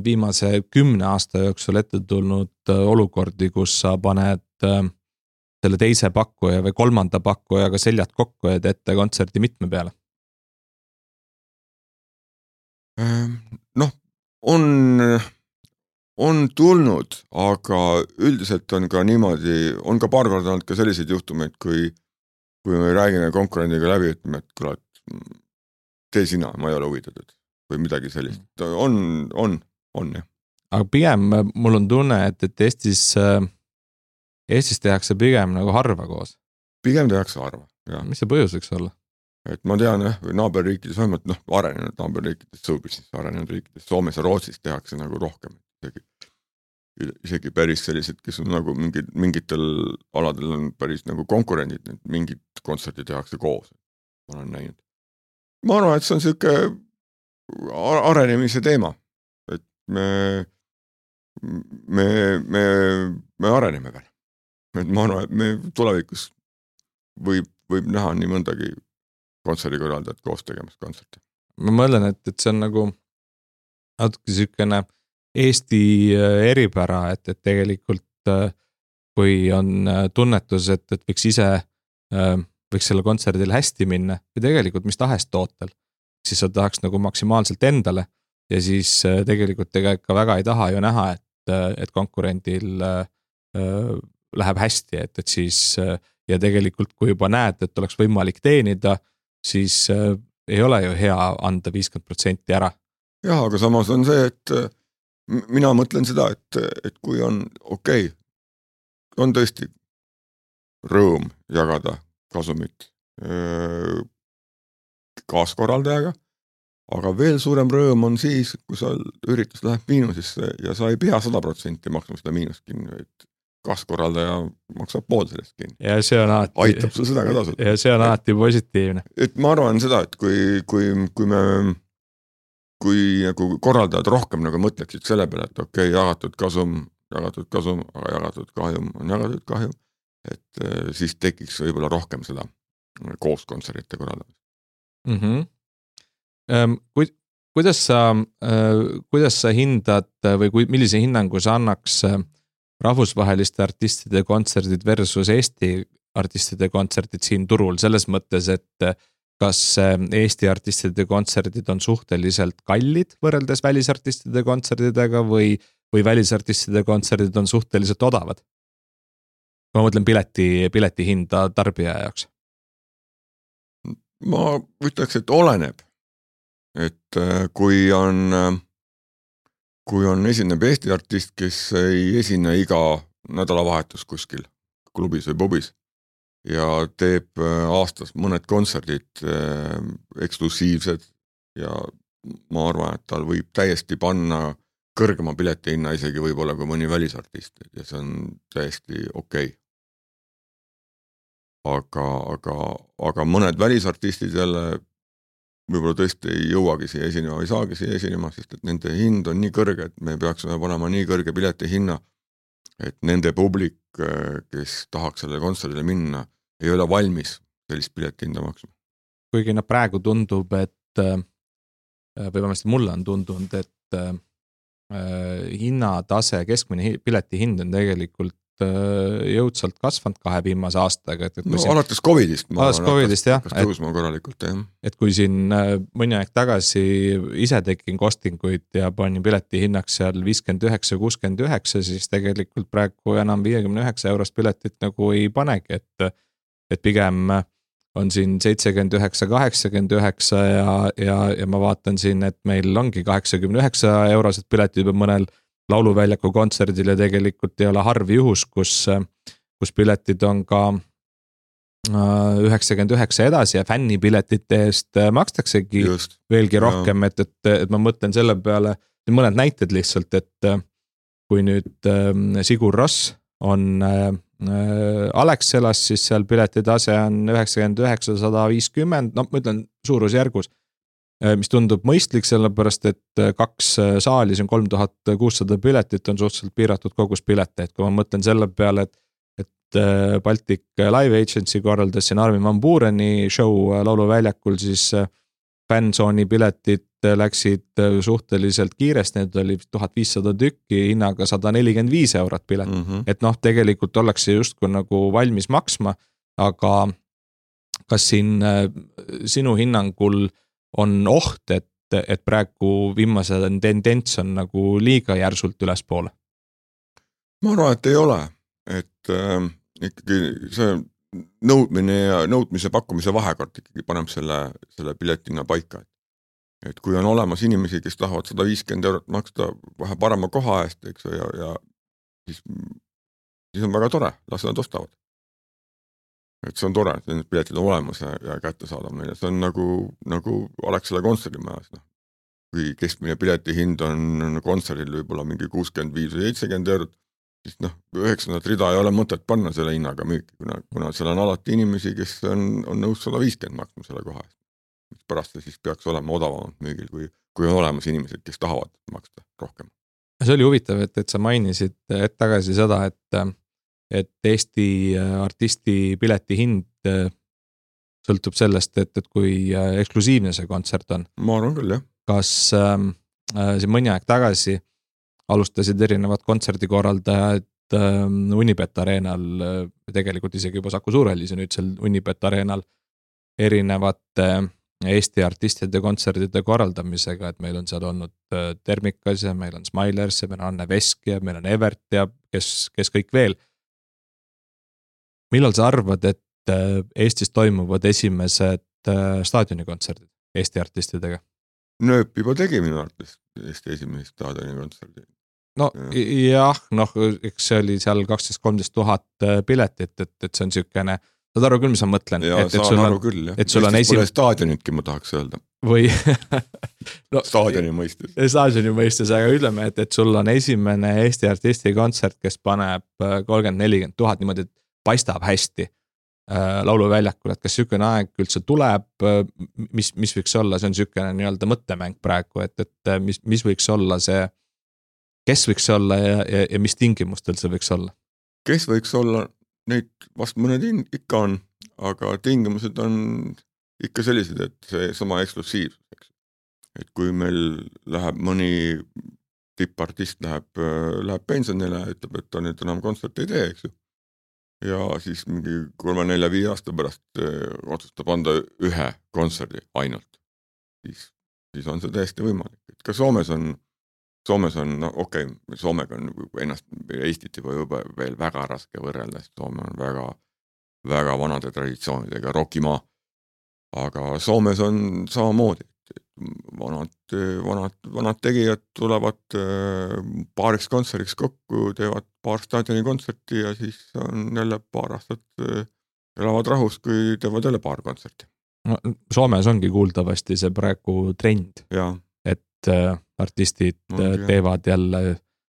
viimase 10 aasta jooksul ette tulnud olukordi, kus sa paned selle teise pakkuja või kolmanda pakkujaga seljad kokku ja teete kontserdi mitme peale? On tulnud, aga üldiselt on ka niimoodi, on ka paar korda olnud ka selliseid juhtumeid, kui me räägime konkurendiga läbi, ütleme, et kuule, tee sina, ma ei ole huvitatud või midagi sellist. On, jah. Aga pigem mul on tunne, et Eestis tehakse pigem nagu harva koos. Pigem tehakse harva, jah. Mis see põhjus võiks olla? Et ma tean, naaberriikides, vähemalt arenenud naaberriikides, showbusiness arenenud riikides, Soomes ja Rootsis tehakse nagu rohkem. Isegi päris sellised, kes on nagu mingitel aladel on päris nagu konkurendid, mingid kontserdid tehakse koos. Ma olen näinud. Ma arvan, et see on selline arenemise teema, et me areneme veel. Et ma arvan, et me tulevikus võib näha nii mõndagi kontserdikorraldajat koos tegemas kontserti. Ma mõtlen, et see on nagu natuke selline Eesti eripära, et tegelikult kui on tunnetus, et võiks ise võiks selle kontserdil hästi minna või tegelikult mis tahes tootel, siis sa tahaks nagu maksimaalselt endale ja siis tegelikult ka väga ei taha ju näha, et konkurendil läheb hästi, et siis ja tegelikult kui juba näed, et oleks võimalik teenida, siis ei ole ju hea anda 50% ära. Jah, aga samas on see, et mina mõtlen seda, et kui on okei, on tõesti rõõm jagada kasumit kaaskorraldajaga, aga veel suurem rõõm on siis, kui sa üritus läheb miinusesse ja sa ei pea 100% maksma seda miinust kinni, et kaaskorraldaja maksab pool sellest kinni. Ja see on alati, aitab sul seda ka tasuta. Ja see on alati positiivne. Et ma arvan seda, et kui nagu korraldajad rohkem nagu mõtleksid selle peale, et okei, jagatud kasum, aga jagatud kahjum on jagatud kahjum, et siis tekiks võib-olla rohkem seda koos kontsertide korraldamist. Kuidas sa hindad või millise hinnangu sa annaks rahvusvaheliste artistide kontserdid versus Eesti artistide kontserdid siin turul, selles mõttes, et kas Eesti artistide kontserdid on suhteliselt kallid võrreldes välisartistide kontserdidega või välisartistide kontserdid on suhteliselt odavad? Ma mõtlen pileti hinda tarbija jaoks. Ma ütleks, et oleneb, et kui on esineb Eesti artist, kes ei esine iga nädalavahetus kuskil klubis või pubis ja teeb aastas mõned kontserdid eksklusiivsed ja ma arvan, et tal võib täiesti panna kõrgema pileti hinna isegi võib-olla kui mõni välisartist ja see on täiesti okei. Aga mõned välisartistid jälle võib-olla tõesti ei jõuagi siia esinema või saagi siia esinema, sest et nende hind on nii kõrge, et me peaksime panema nii kõrge pileti hinna, et nende publik, kes tahaks sellele kontserdile minna, ei ole valmis sellist pileti hinda maksma. Kuigi praegu tundub, et või vähemasti mulle on tundunud, et hinnatase, keskmine pileti hind on tegelikult jõudsalt kasvanud 2 viimase aastaga. Alates Covidist. Alates Covidist, jah. Tõusma korralikult, jah. Et kui siin mõni aeg tagasi ise tegin kostinguid ja panin pileti hinnaks seal 59-69, siis tegelikult praegu enam 59 eurost piletit nagu ei panegi, et pigem on siin 79-89 ja ma vaatan siin, et meil ongi 89 eurosed piletid juba mõnel lauluväljaku kontserdil ja tegelikult ei ole harv juhus, kus piletid on ka 99 edasi ja fännipiletite eest makstaksegi veelgi rohkem, et ma mõtlen selle peale, mõned näited lihtsalt, et kui nüüd Sigur Ross on Alexelas, siis seal piletitase on 99-150, ma ütlen suurusjärgus, mis tundub mõistlik, sellepärast et 2 saali, see on 3600 piletit, on suhteliselt piiratud kogus pilete, et kui ma mõtlen selle peale, et Baltic Live Agency korraldas siin Armin van Buureni show lauluväljakul, siis fännsooni piletid läksid suhteliselt kiiresti, need oli 1500 tükki, hinnaga 145 eurot pilet, et tegelikult ollakse justkui nagu valmis maksma, aga kas siin sinu hinnangul on oht, et praegu viimase tendents on nagu liiga järsult ülespoole? Ma arvan, et ei ole, et ikkagi see nõudmine ja nõudmise pakkumise vahekord ikkagi paneb selle piletina paika. Et kui on olemas inimesi, kes tahavad 150 eurot maksta vähe parema koha eest, eks, ja siis on väga tore, las nad ostavad. Et see on tore, et need piletid on olemas ja kätte saadab neile. See on nagu Alexela kontserdimajas. Kui keskmine pileti hind on kontserdil võib-olla mingi 65 või 70 eurot, siis 9. rida ei ole mõtet panna selle hinnaga müüki, kuna seal on alati inimesi, kes on nõus 150 maksma selle koha eest. Pärast siis peaks olema odavamalt müügil, kui on olemas inimesed, kes tahavad maksta rohkem. See oli huvitav, et sa mainisid tagasi seda, et Eesti artisti pileti hind sõltub sellest, et kui eksklusiivne see kontsert on. Ma arvan küll, jah. Kas siin mõni aeg tagasi alustasid erinevad kontserdikorraldajad Unibet Arenal, tegelikult isegi juba Saku Suurhallis ja nüüd seal Unibet Arenal erinevate Eesti artistide kontserdide korraldamisega, et meil on seal olnud Termikas ja meil on Smilers ja meil on Anne Vesk ja meil on Evert ja kes kõik veel. Millal sa arvad, et Eestis toimuvad esimesed staadionikontserdid Eesti artistidega? Nööp juba tegi minu artist Eesti esimesed staadionikontserdid. Jah, eks see oli seal 12-13 000 piletit, et see on sükene, saad aru küll, mis ma mõtlen? Ja saan aru küll, jah. Eestis pole staadionitki, ma tahaks öelda. Või staadioni mõistes. Staadioni mõistes, aga ütleme, et sul on esimene Eesti artisti kontsert, kes paneb 30-40 000 niimoodi, et paistab hästi lauluväljakul, et kas sükene aeg üldse tuleb, mis võiks olla, see on sükene nii-öelda mõttemäng praegu, et mis võiks olla see, kes võiks olla ja mis tingimustel see võiks olla? Kes võiks olla, neid vast mõned ikka on, aga tingimused on ikka sellised, et see sama eksklusiivsus. Et kui meil läheb mõni tippartist läheb pensionile, ütleb, et ta nüüd enam kontsert ei tee, eks ju. Ja siis mingi 3-4-5 aasta pärast otsustab anda ühe kontserdi ainult. Siis on see täiesti võimalik. Et ka Soomes on, okei, Soomega on ennast Eestit juba veel väga raske võrrelda, sest Soome on väga, väga vanade traditsioonidega rokimaa. Aga Soomes on samamoodi. Vanad tegijad tulevad paariks kontseriks kokku, teevad paar staadioni kontserti ja siis on jälle paar aastat elavad rahus, kui teevad jälle paar kontserti. No, Soomes ongi kuuldavasti see praegu trend, et artistid teevad jälle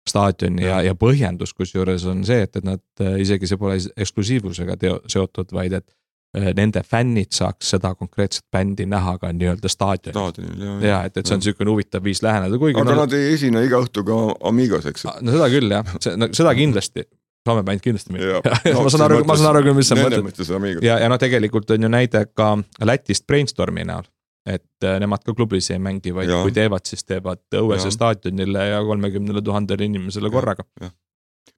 staadioni ja põhjendus, kus juures on see, et nad isegi see pole eksklusiivusega seotud, vaid et nende fännid saaks seda konkreetset bändi näha ka nii-öelda staadionil. Ja, et see on niisugune huvitav viis läheneda. Aga nad ei esine iga õhtu ka Amigos, eks? No seda küll, jah. Seda kindlasti. Soome bänd kindlasti mitte. Ma saan aru küll, mis sa mõtled. Ja no tegelikult on ju näide ka Lätist Brainstormi näol. Et nemad ka klubis ei mängi, vaid kui teevad, siis teevad õuese staadionile ja 30 000 inimesele korraga.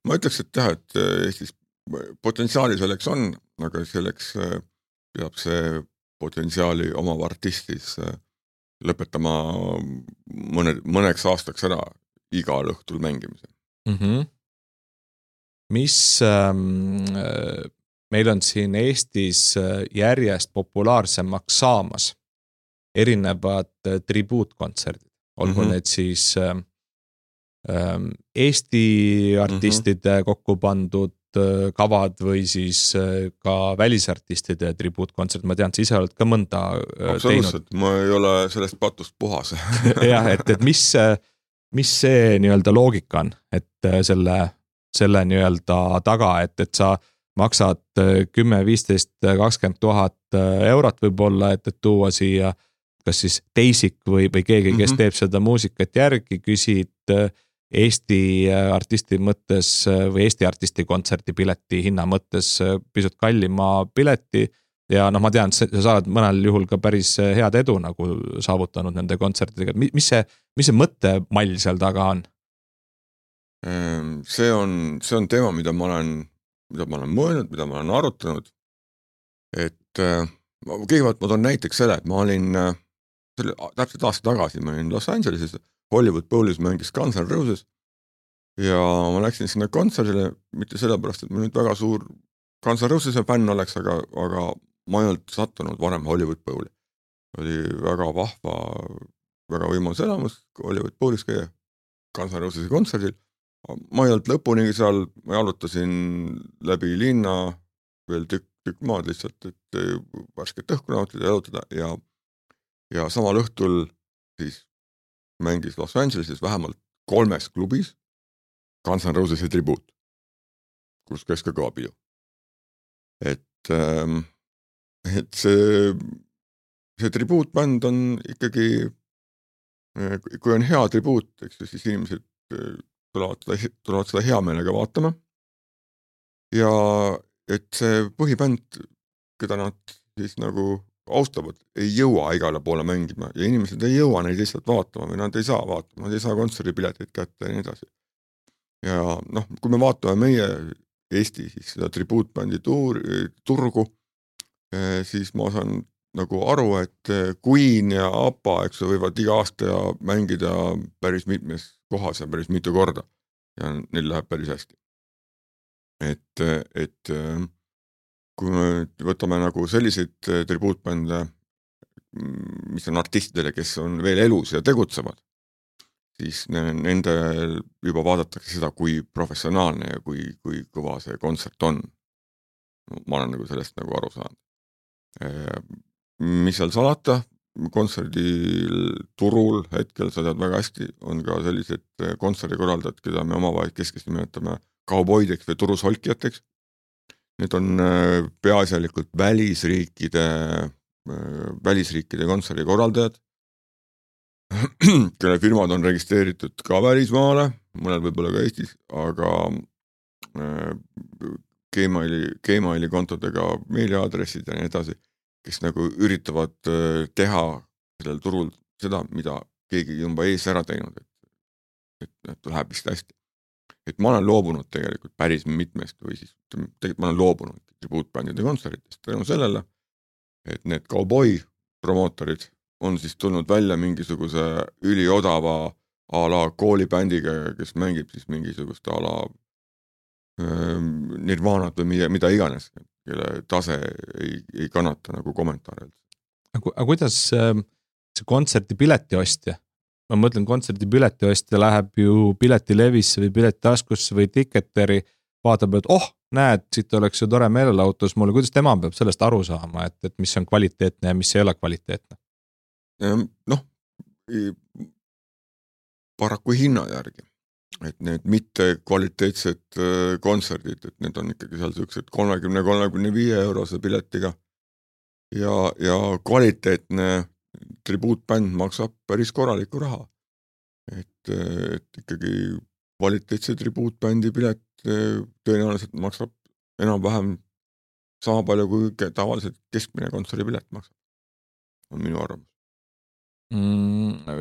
Ma ütleks, et jah, et Eestis potentsiaali selleks on, aga selleks peab see potentsiaali omav artistis lõpetama mõneks aastaks ära igal õhtul mängimise. Mis meil on siin Eestis järjest populaarsemaks saamas erinevad tribuutkontserdid, olgu need siis Eesti artistide kokku pandud kavad või siis ka välisartistide tribuutkontsert, ma tean, sa ise oled ka mõnda absoluutselt, ma ei ole sellest patust puhas. Jah, et mis see nii-öelda loogika on, et selle nii-öelda taga, et sa maksad 10, 15, 20 000 eurot võib-olla, et tuua siia kas siis teisik või keegi, kes teeb seda muusikat järgi, küsid Eesti artisti mõttes või Eesti artisti kontserti pileti hinna mõttes pisut kallima pileti ja ma tean, sa oled mõnel juhul ka päris head edu nagu saavutanud nende kontsertidega. Mis see mõttemall seal taga on? See on teema, mida ma olen mõelnud, mida ma olen arutanud, et kõigepealt ma toon näiteks selle, et ma olin täpselt aasta tagasi, ma olin Los Angeleses, Hollywood Bowlis mängis Guns N' Roses ja ma läksin sinna kontserdile, mitte sellepärast, et ma nüüd väga suur Guns N' Roses'e fänn oleks, aga ma ei olnud sattunud varem Hollywood Bowli. Oli väga vahva, väga võimalus elamus Hollywood Bowlis käia Guns N' Roses'e kontserdil. Ma ei olnud lõpuni seal, ma jalutasin läbi linna veel tükk maad lihtsalt, et värsket õhku nautida ja jalutada ja samal õhtul siis mängis Los Angeleses vähemalt 3 klubis Guns N' Roses'e tribuut, kus käis ka pidu. Et see tribuutbänd on ikkagi, kui on hea tribuut, eks siis inimesed tulevad seda hea meelega vaatama. Ja et see põhibänd, keda nad siis nagu austavad, ei jõua igale poole mängima ja inimesed ei jõua neid lihtsalt vaatama või nad ei saa vaatama, nad ei saa kontserdipileteid kätte ja nii edasi. Ja kui me vaatame meie Eesti siis seda tribuutbändi turgu, siis ma saan nagu aru, et Queen ja ABBA, eks võivad iga aasta mängida päris mitmes kohas ja päris mitu korda ja neil läheb päris hästi. Et kui me võtame nagu selliseid tribuutbände, mis on artistidele, kes on veel elus ja tegutsevad, siis nende juba vaadatakse seda, kui professionaalne ja kui kõva see kontsert on. Ma olen nagu sellest nagu aru saanud. Mis seal salata, kontserdil turul hetkel sa tead väga hästi, on ka sellised kontserdikorraldajad, keda me omavahel keskesti nimetame kauboideks või turusolkijateks. Need on peaasjalikult välisriikide kontserdikorraldajad, kelle firmad on registreeritud ka välismaale, mõnel võib-olla ka Eestis, aga Gmaili kontodega meiliaadressid ja nii edasi, kes nagu üritavad teha sellel turul seda, mida keegi juba ees ära teinud, et läheb vist hästi. Et ma olen loobunud tegelikult päris mitmest või siis tegelikult ma olen loobunud tribuutbändide kontsertidest tänu sellele, et need cowboy promootorid on siis tulnud välja mingisuguse üliodava a la koolibändiga, kes mängib siis mingisugust a la Nirvanat või mida iganes, kelle tase ei kannata nagu kommentaare. Aga kuidas see kontserti piletiostja? Ma mõtlen, kontsertipiletiostja läheb ju piletilevisse või piletitaskusse või Ticketeri, vaatab, et näed, siit oleks ju tore meelelahutus mulle, kuidas tema peab sellest aru saama, et mis on kvaliteetne ja mis ei ole kvaliteetne? Paraku hinna järgi, et need mitte kvaliteetsed kontserdid, et need on ikkagi seal sellised 30-35 eurose piletiga ja kvaliteetne tribuutbänd maksab päris korralikku raha. Et ikkagi kvaliteetse tribuutbändi pilet tõenäoliselt maksab enam-vähem sama palju kui tavaliselt keskmine kontserdipilet maksab. On minu arvamus.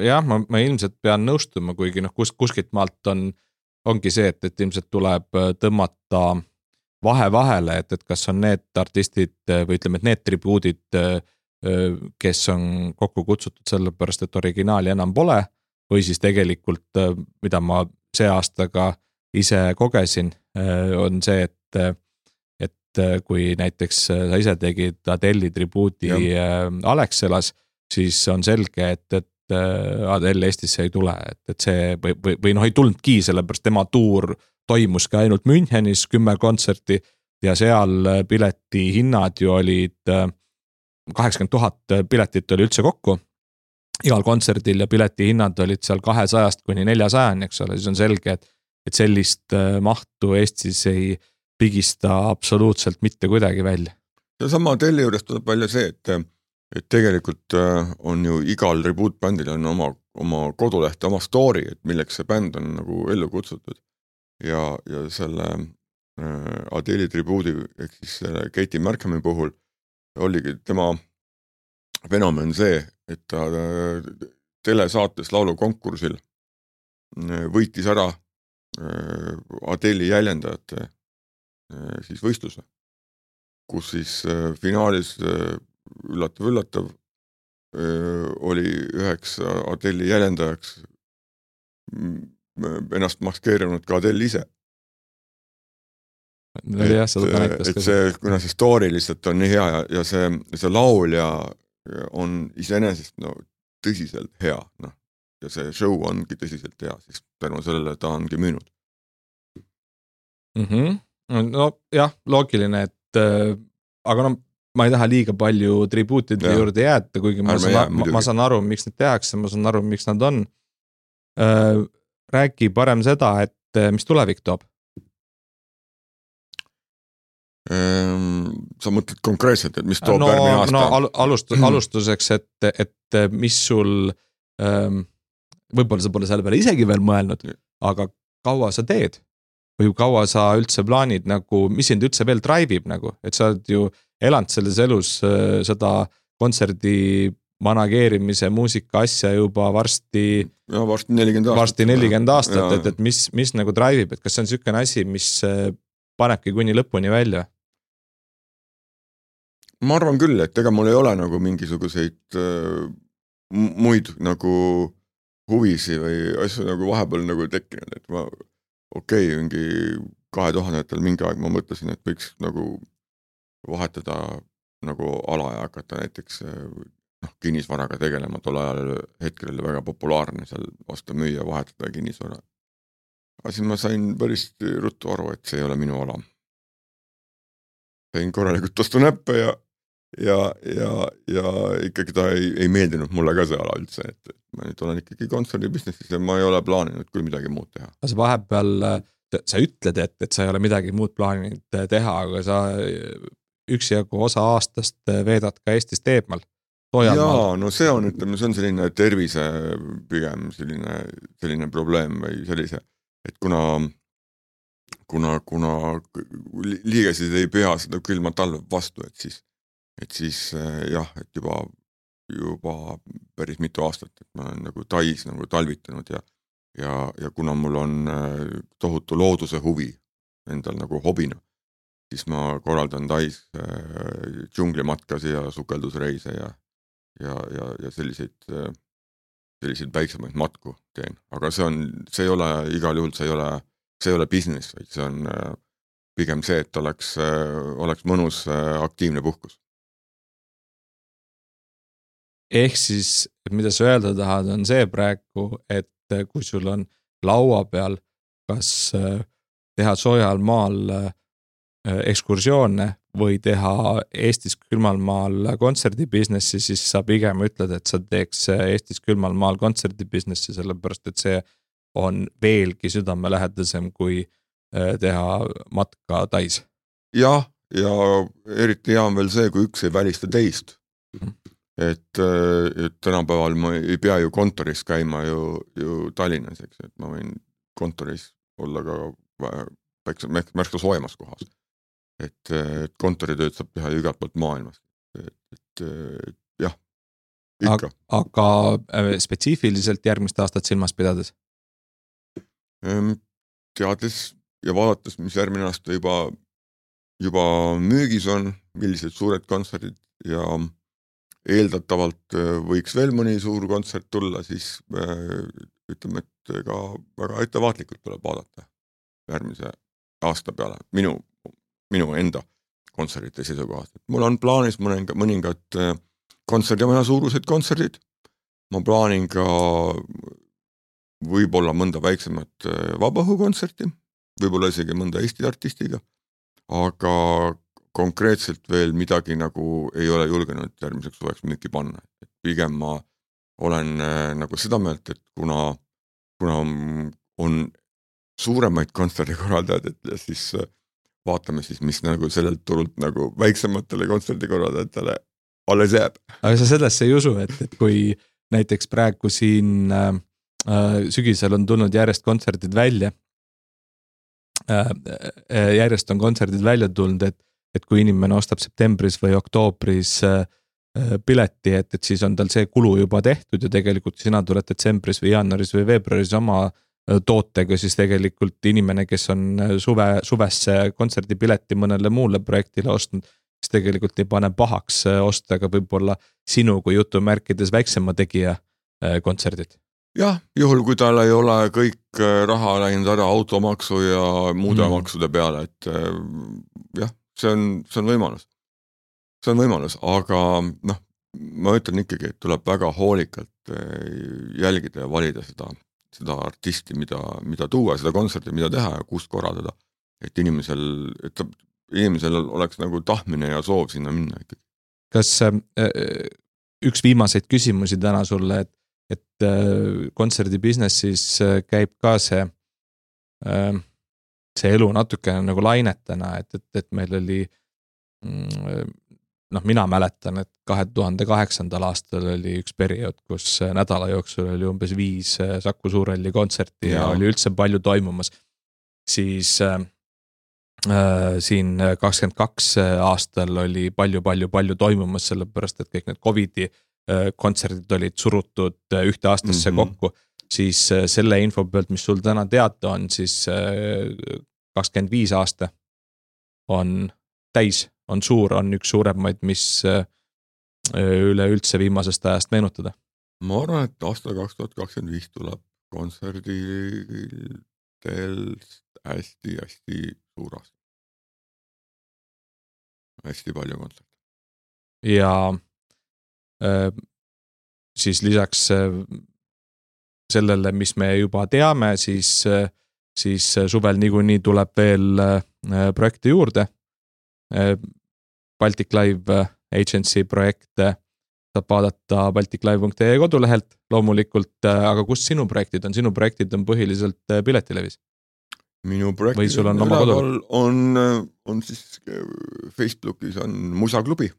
Jah, ma ilmselt pean nõustuma, kuigi kuskilt maalt ongi see, et ilmselt tuleb tõmmata vahele, et kas on need artistid või ütleme, et need tribuudid, kes on kokku kutsutud sellepärast, et originaali enam pole, või siis tegelikult, mida ma see aastaga ise kogesin, on see, et kui näiteks sa ise tegid Adele'i tribuudi Alexelas, siis on selge, et Adele Eestisse ei tule, et see või ei tulnudki, sellepärast tema tuur toimuski ainult Münchenis 10 kontserti ja seal pileti hinnad ju olid 80,000 piletit oli üldse kokku igal kontserdil ja pileti hinnad olid seal 200 kuni 400, eks ole, siis on selge, et sellist mahtu Eestis ei pigista absoluutselt mitte kuidagi välja. Ja sama Adele juures tuleb välja see, et tegelikult on ju igal tribuutbändil on oma koduleht, oma story, et milleks see bänd on nagu ellu kutsutud. Ja selle Adele'i tribuudi, ehk siis Katie Markhami puhul oligi tema fenomen see, et ta telesaates laulukonkursil võitis ära Adele'i jäljendajate siis võistluse, kus siis finaalis üllatav oli üheks Adele'i jäljendajaks ennast maskeerinud ka Adele ise. Et see, kuna see story lihtsalt on nii hea ja see laulja on iseenesest tõsiselt hea, ja see show ongi tõsiselt hea, siis tänu sellele ta ongi müünud. No jah, loogiline, et aga ma ei taha liiga palju tribuutide juurde jääda, kuigi ma saan aru, miks need tehakse, ma saan aru, miks nad on. Räägi parem seda, et mis tulevik toob? Sa mõtled konkreetselt, et mis toob järgmine aasta? Alustuseks, et mis sul, võib-olla sa pole selle peale isegi veel mõelnud, aga kaua sa teed? Või kaua sa üldse plaanid, mis sind üldse veel drive'ib, et sa oled ju elanud selles elus seda kontserdi manageerimise muusika asja juba varsti 40 aastat, et mis drive'ib, et kas see on sükene asi, mis panebki kuni lõpuni välja? Ma arvan küll, et ega mul ei ole mingisuguseid muid huvisi või asju vahepeal tekkinud, et ma mingi 2000-atel mingi aeg ma mõtlesin, et võiks vahetada ala ja hakata näiteks kinnisvaraga tegelema, tol ajal hetkel oli väga populaarne seal osta müüa, vahetada kinnisvara. Aga siis ma sain päris ruttu aru, et see ei ole minu ala. Sain korralikult ostu näppe ja ikkagi ta ei meeldinud mulle ka see ala üldse, et ma nüüd olen ikkagi kontserdibusinessis ja ma ei ole plaaninud küll midagi muud teha. Sa vahepeal, sa ütled, et sa ei ole midagi muud plaaninud teha, aga sa üksijagu osa aastast veedad ka Eestist eemal. Jaa, no see on selline tervise pigem selline probleem või sellise, et kuna liigesid ei pea seda külma talve vastu, et siis jah, et juba päris mitu aastat, et ma olen Tais talvitanud ja kuna mul on tohutu looduse huvi endal hobina, siis ma korraldan Tais džunglimatkasi ja sukeldusreise ja selliseid väiksemaid matku teen, aga see ei ole igal juhul, see ei ole business, vaid see on pigem see, et oleks mõnus aktiivne puhkus. Ehk siis, mida sa öelda tahad, on see praegu, et kui sul on laua peal, kas teha soojal maal ekskursioone või teha Eestis külmal maal kontserdibusinessi, siis sa pigem ütled, et sa teeks Eestis külmal maal kontserdibusinessi, sellepärast et see on veelgi südamelähedasem kui teha matka Tais. Jah, ja eriti hea on veel see, kui üks ei välista teist. Et tänapäeval ma ei pea ju kontoris käima ju Tallinnas, eks, et ma võin kontoris olla ka märksa soojemas kohas. Et kontoritööd saab teha ju igalt poolt maailmas. Et jah, ikka. Aga spetsiifiliselt järgmist aastat silmas pidades? Teades ja vaadates, mis järgmine aasta juba müügis on, millised suured kontserdid ja eeldatavalt võiks veel mõni suur kontsert tulla, siis ütleme, et ka väga ettevaatlikult tuleb vaadata järgmise aasta peale minu enda kontserdite seisukohast. Mul on plaanis mõningad kontserdimaja suurused kontserdid. Ma plaanin ka võib-olla mõnda väiksemat vabaõhukontserti, võib-olla isegi mõnda Eesti artistiga, aga konkreetselt veel midagi nagu ei ole julgenud järgmiseks suveks müüki panna. Et pigem ma olen nagu seda meelt, et kuna on suuremaid kontserdikorraldajad, et siis vaatame siis, mis nagu sellelt turult nagu väiksematele kontserdikorraldajatele alles jääb. Aga sa sellesse ei usu, et kui näiteks praegu siin sügisel on tulnud järjest kontserdid välja, järjest on kontserdid välja tulnud, et kui inimene ostab septembris või oktoobris pileti, et siis on tal see kulu juba tehtud ja tegelikult sina tuled detsembris või jaanuaris või veebruaris oma tootega, siis tegelikult inimene, kes on suvesse kontserdipileti mõnele muule projektile ostnud, siis tegelikult ei pane pahaks osta ka võib-olla sinu kui jutumärkides väiksema tegija kontserdid. Jah, juhul kui tal ei ole kõik raha läinud ära automaksu ja muude maksude peale, et jah, see on võimalus. See on võimalus, aga ma ütlen ikkagi, et tuleb väga hoolikalt jälgida ja valida seda artisti, mida tuua, seda kontserti, mida teha ja kust korraldada, et inimesel oleks nagu tahtmine ja soov sinna minna ikkagi. Kas üks viimaseid küsimusi täna sulle, et kontserdibusinessis käib ka see elu natukene nagu lainetena, et meil oli, mina mäletan, et 2008. aastal oli üks periood, kus nädala jooksul oli umbes 5 Saku Suurhalli kontserti ja oli üldse palju toimumas. Siis siin 22 aastal oli palju toimumas, sellepärast, et kõik need COVID-i kontserdid olid surutud ühte aastasse kokku, siis selle info pealt, mis sul täna teada on, siis 25 aasta on täis, on suur, on üks suuremaid, mis üleüldse viimasest ajast meenutada. Ma arvan, et aasta 2025 tuleb kontserdidel hästi suur aasta. Hästi palju kontserte. Ja siis lisaks sellele, mis me juba teame, siis suvel niikuinii tuleb veel projekte juurde. Baltic Live Agency projekte saab vaadata balticlive.ee kodulehelt loomulikult, aga kus sinu projektid on? Sinu projektid on põhiliselt Piletilevis. Minu projektid on siis Facebookis on Musaklubi.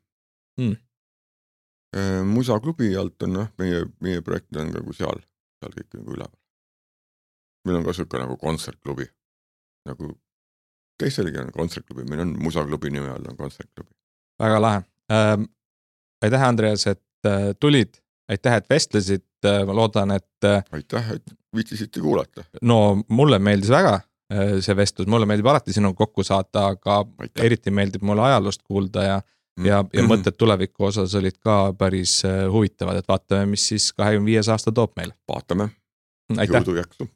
Musaklubi alt on meie projektid on nagu seal kõik nagu üleval. Meil on ka siuke nagu kontsertklubi. Nagu teistelegi on kontsertklubi, meil on Musaklubi nime all on kontsertklubi. Väga lahe. Aitäh, Andreas, et tulid. Aitäh, et vestlesid. Ma loodan, et aitäh, et viitsisite kuulata. No mulle meeldis väga see vestlus. Mulle meeldib alati sinu kokku saata, aga eriti meeldib mulle ajaloost kuulda ja mõtted tuleviku osas olid ka päris huvitavad, et vaatame, mis siis 25 aasta toob meile. Vaatame. Aitäh. Jõudu jaksu.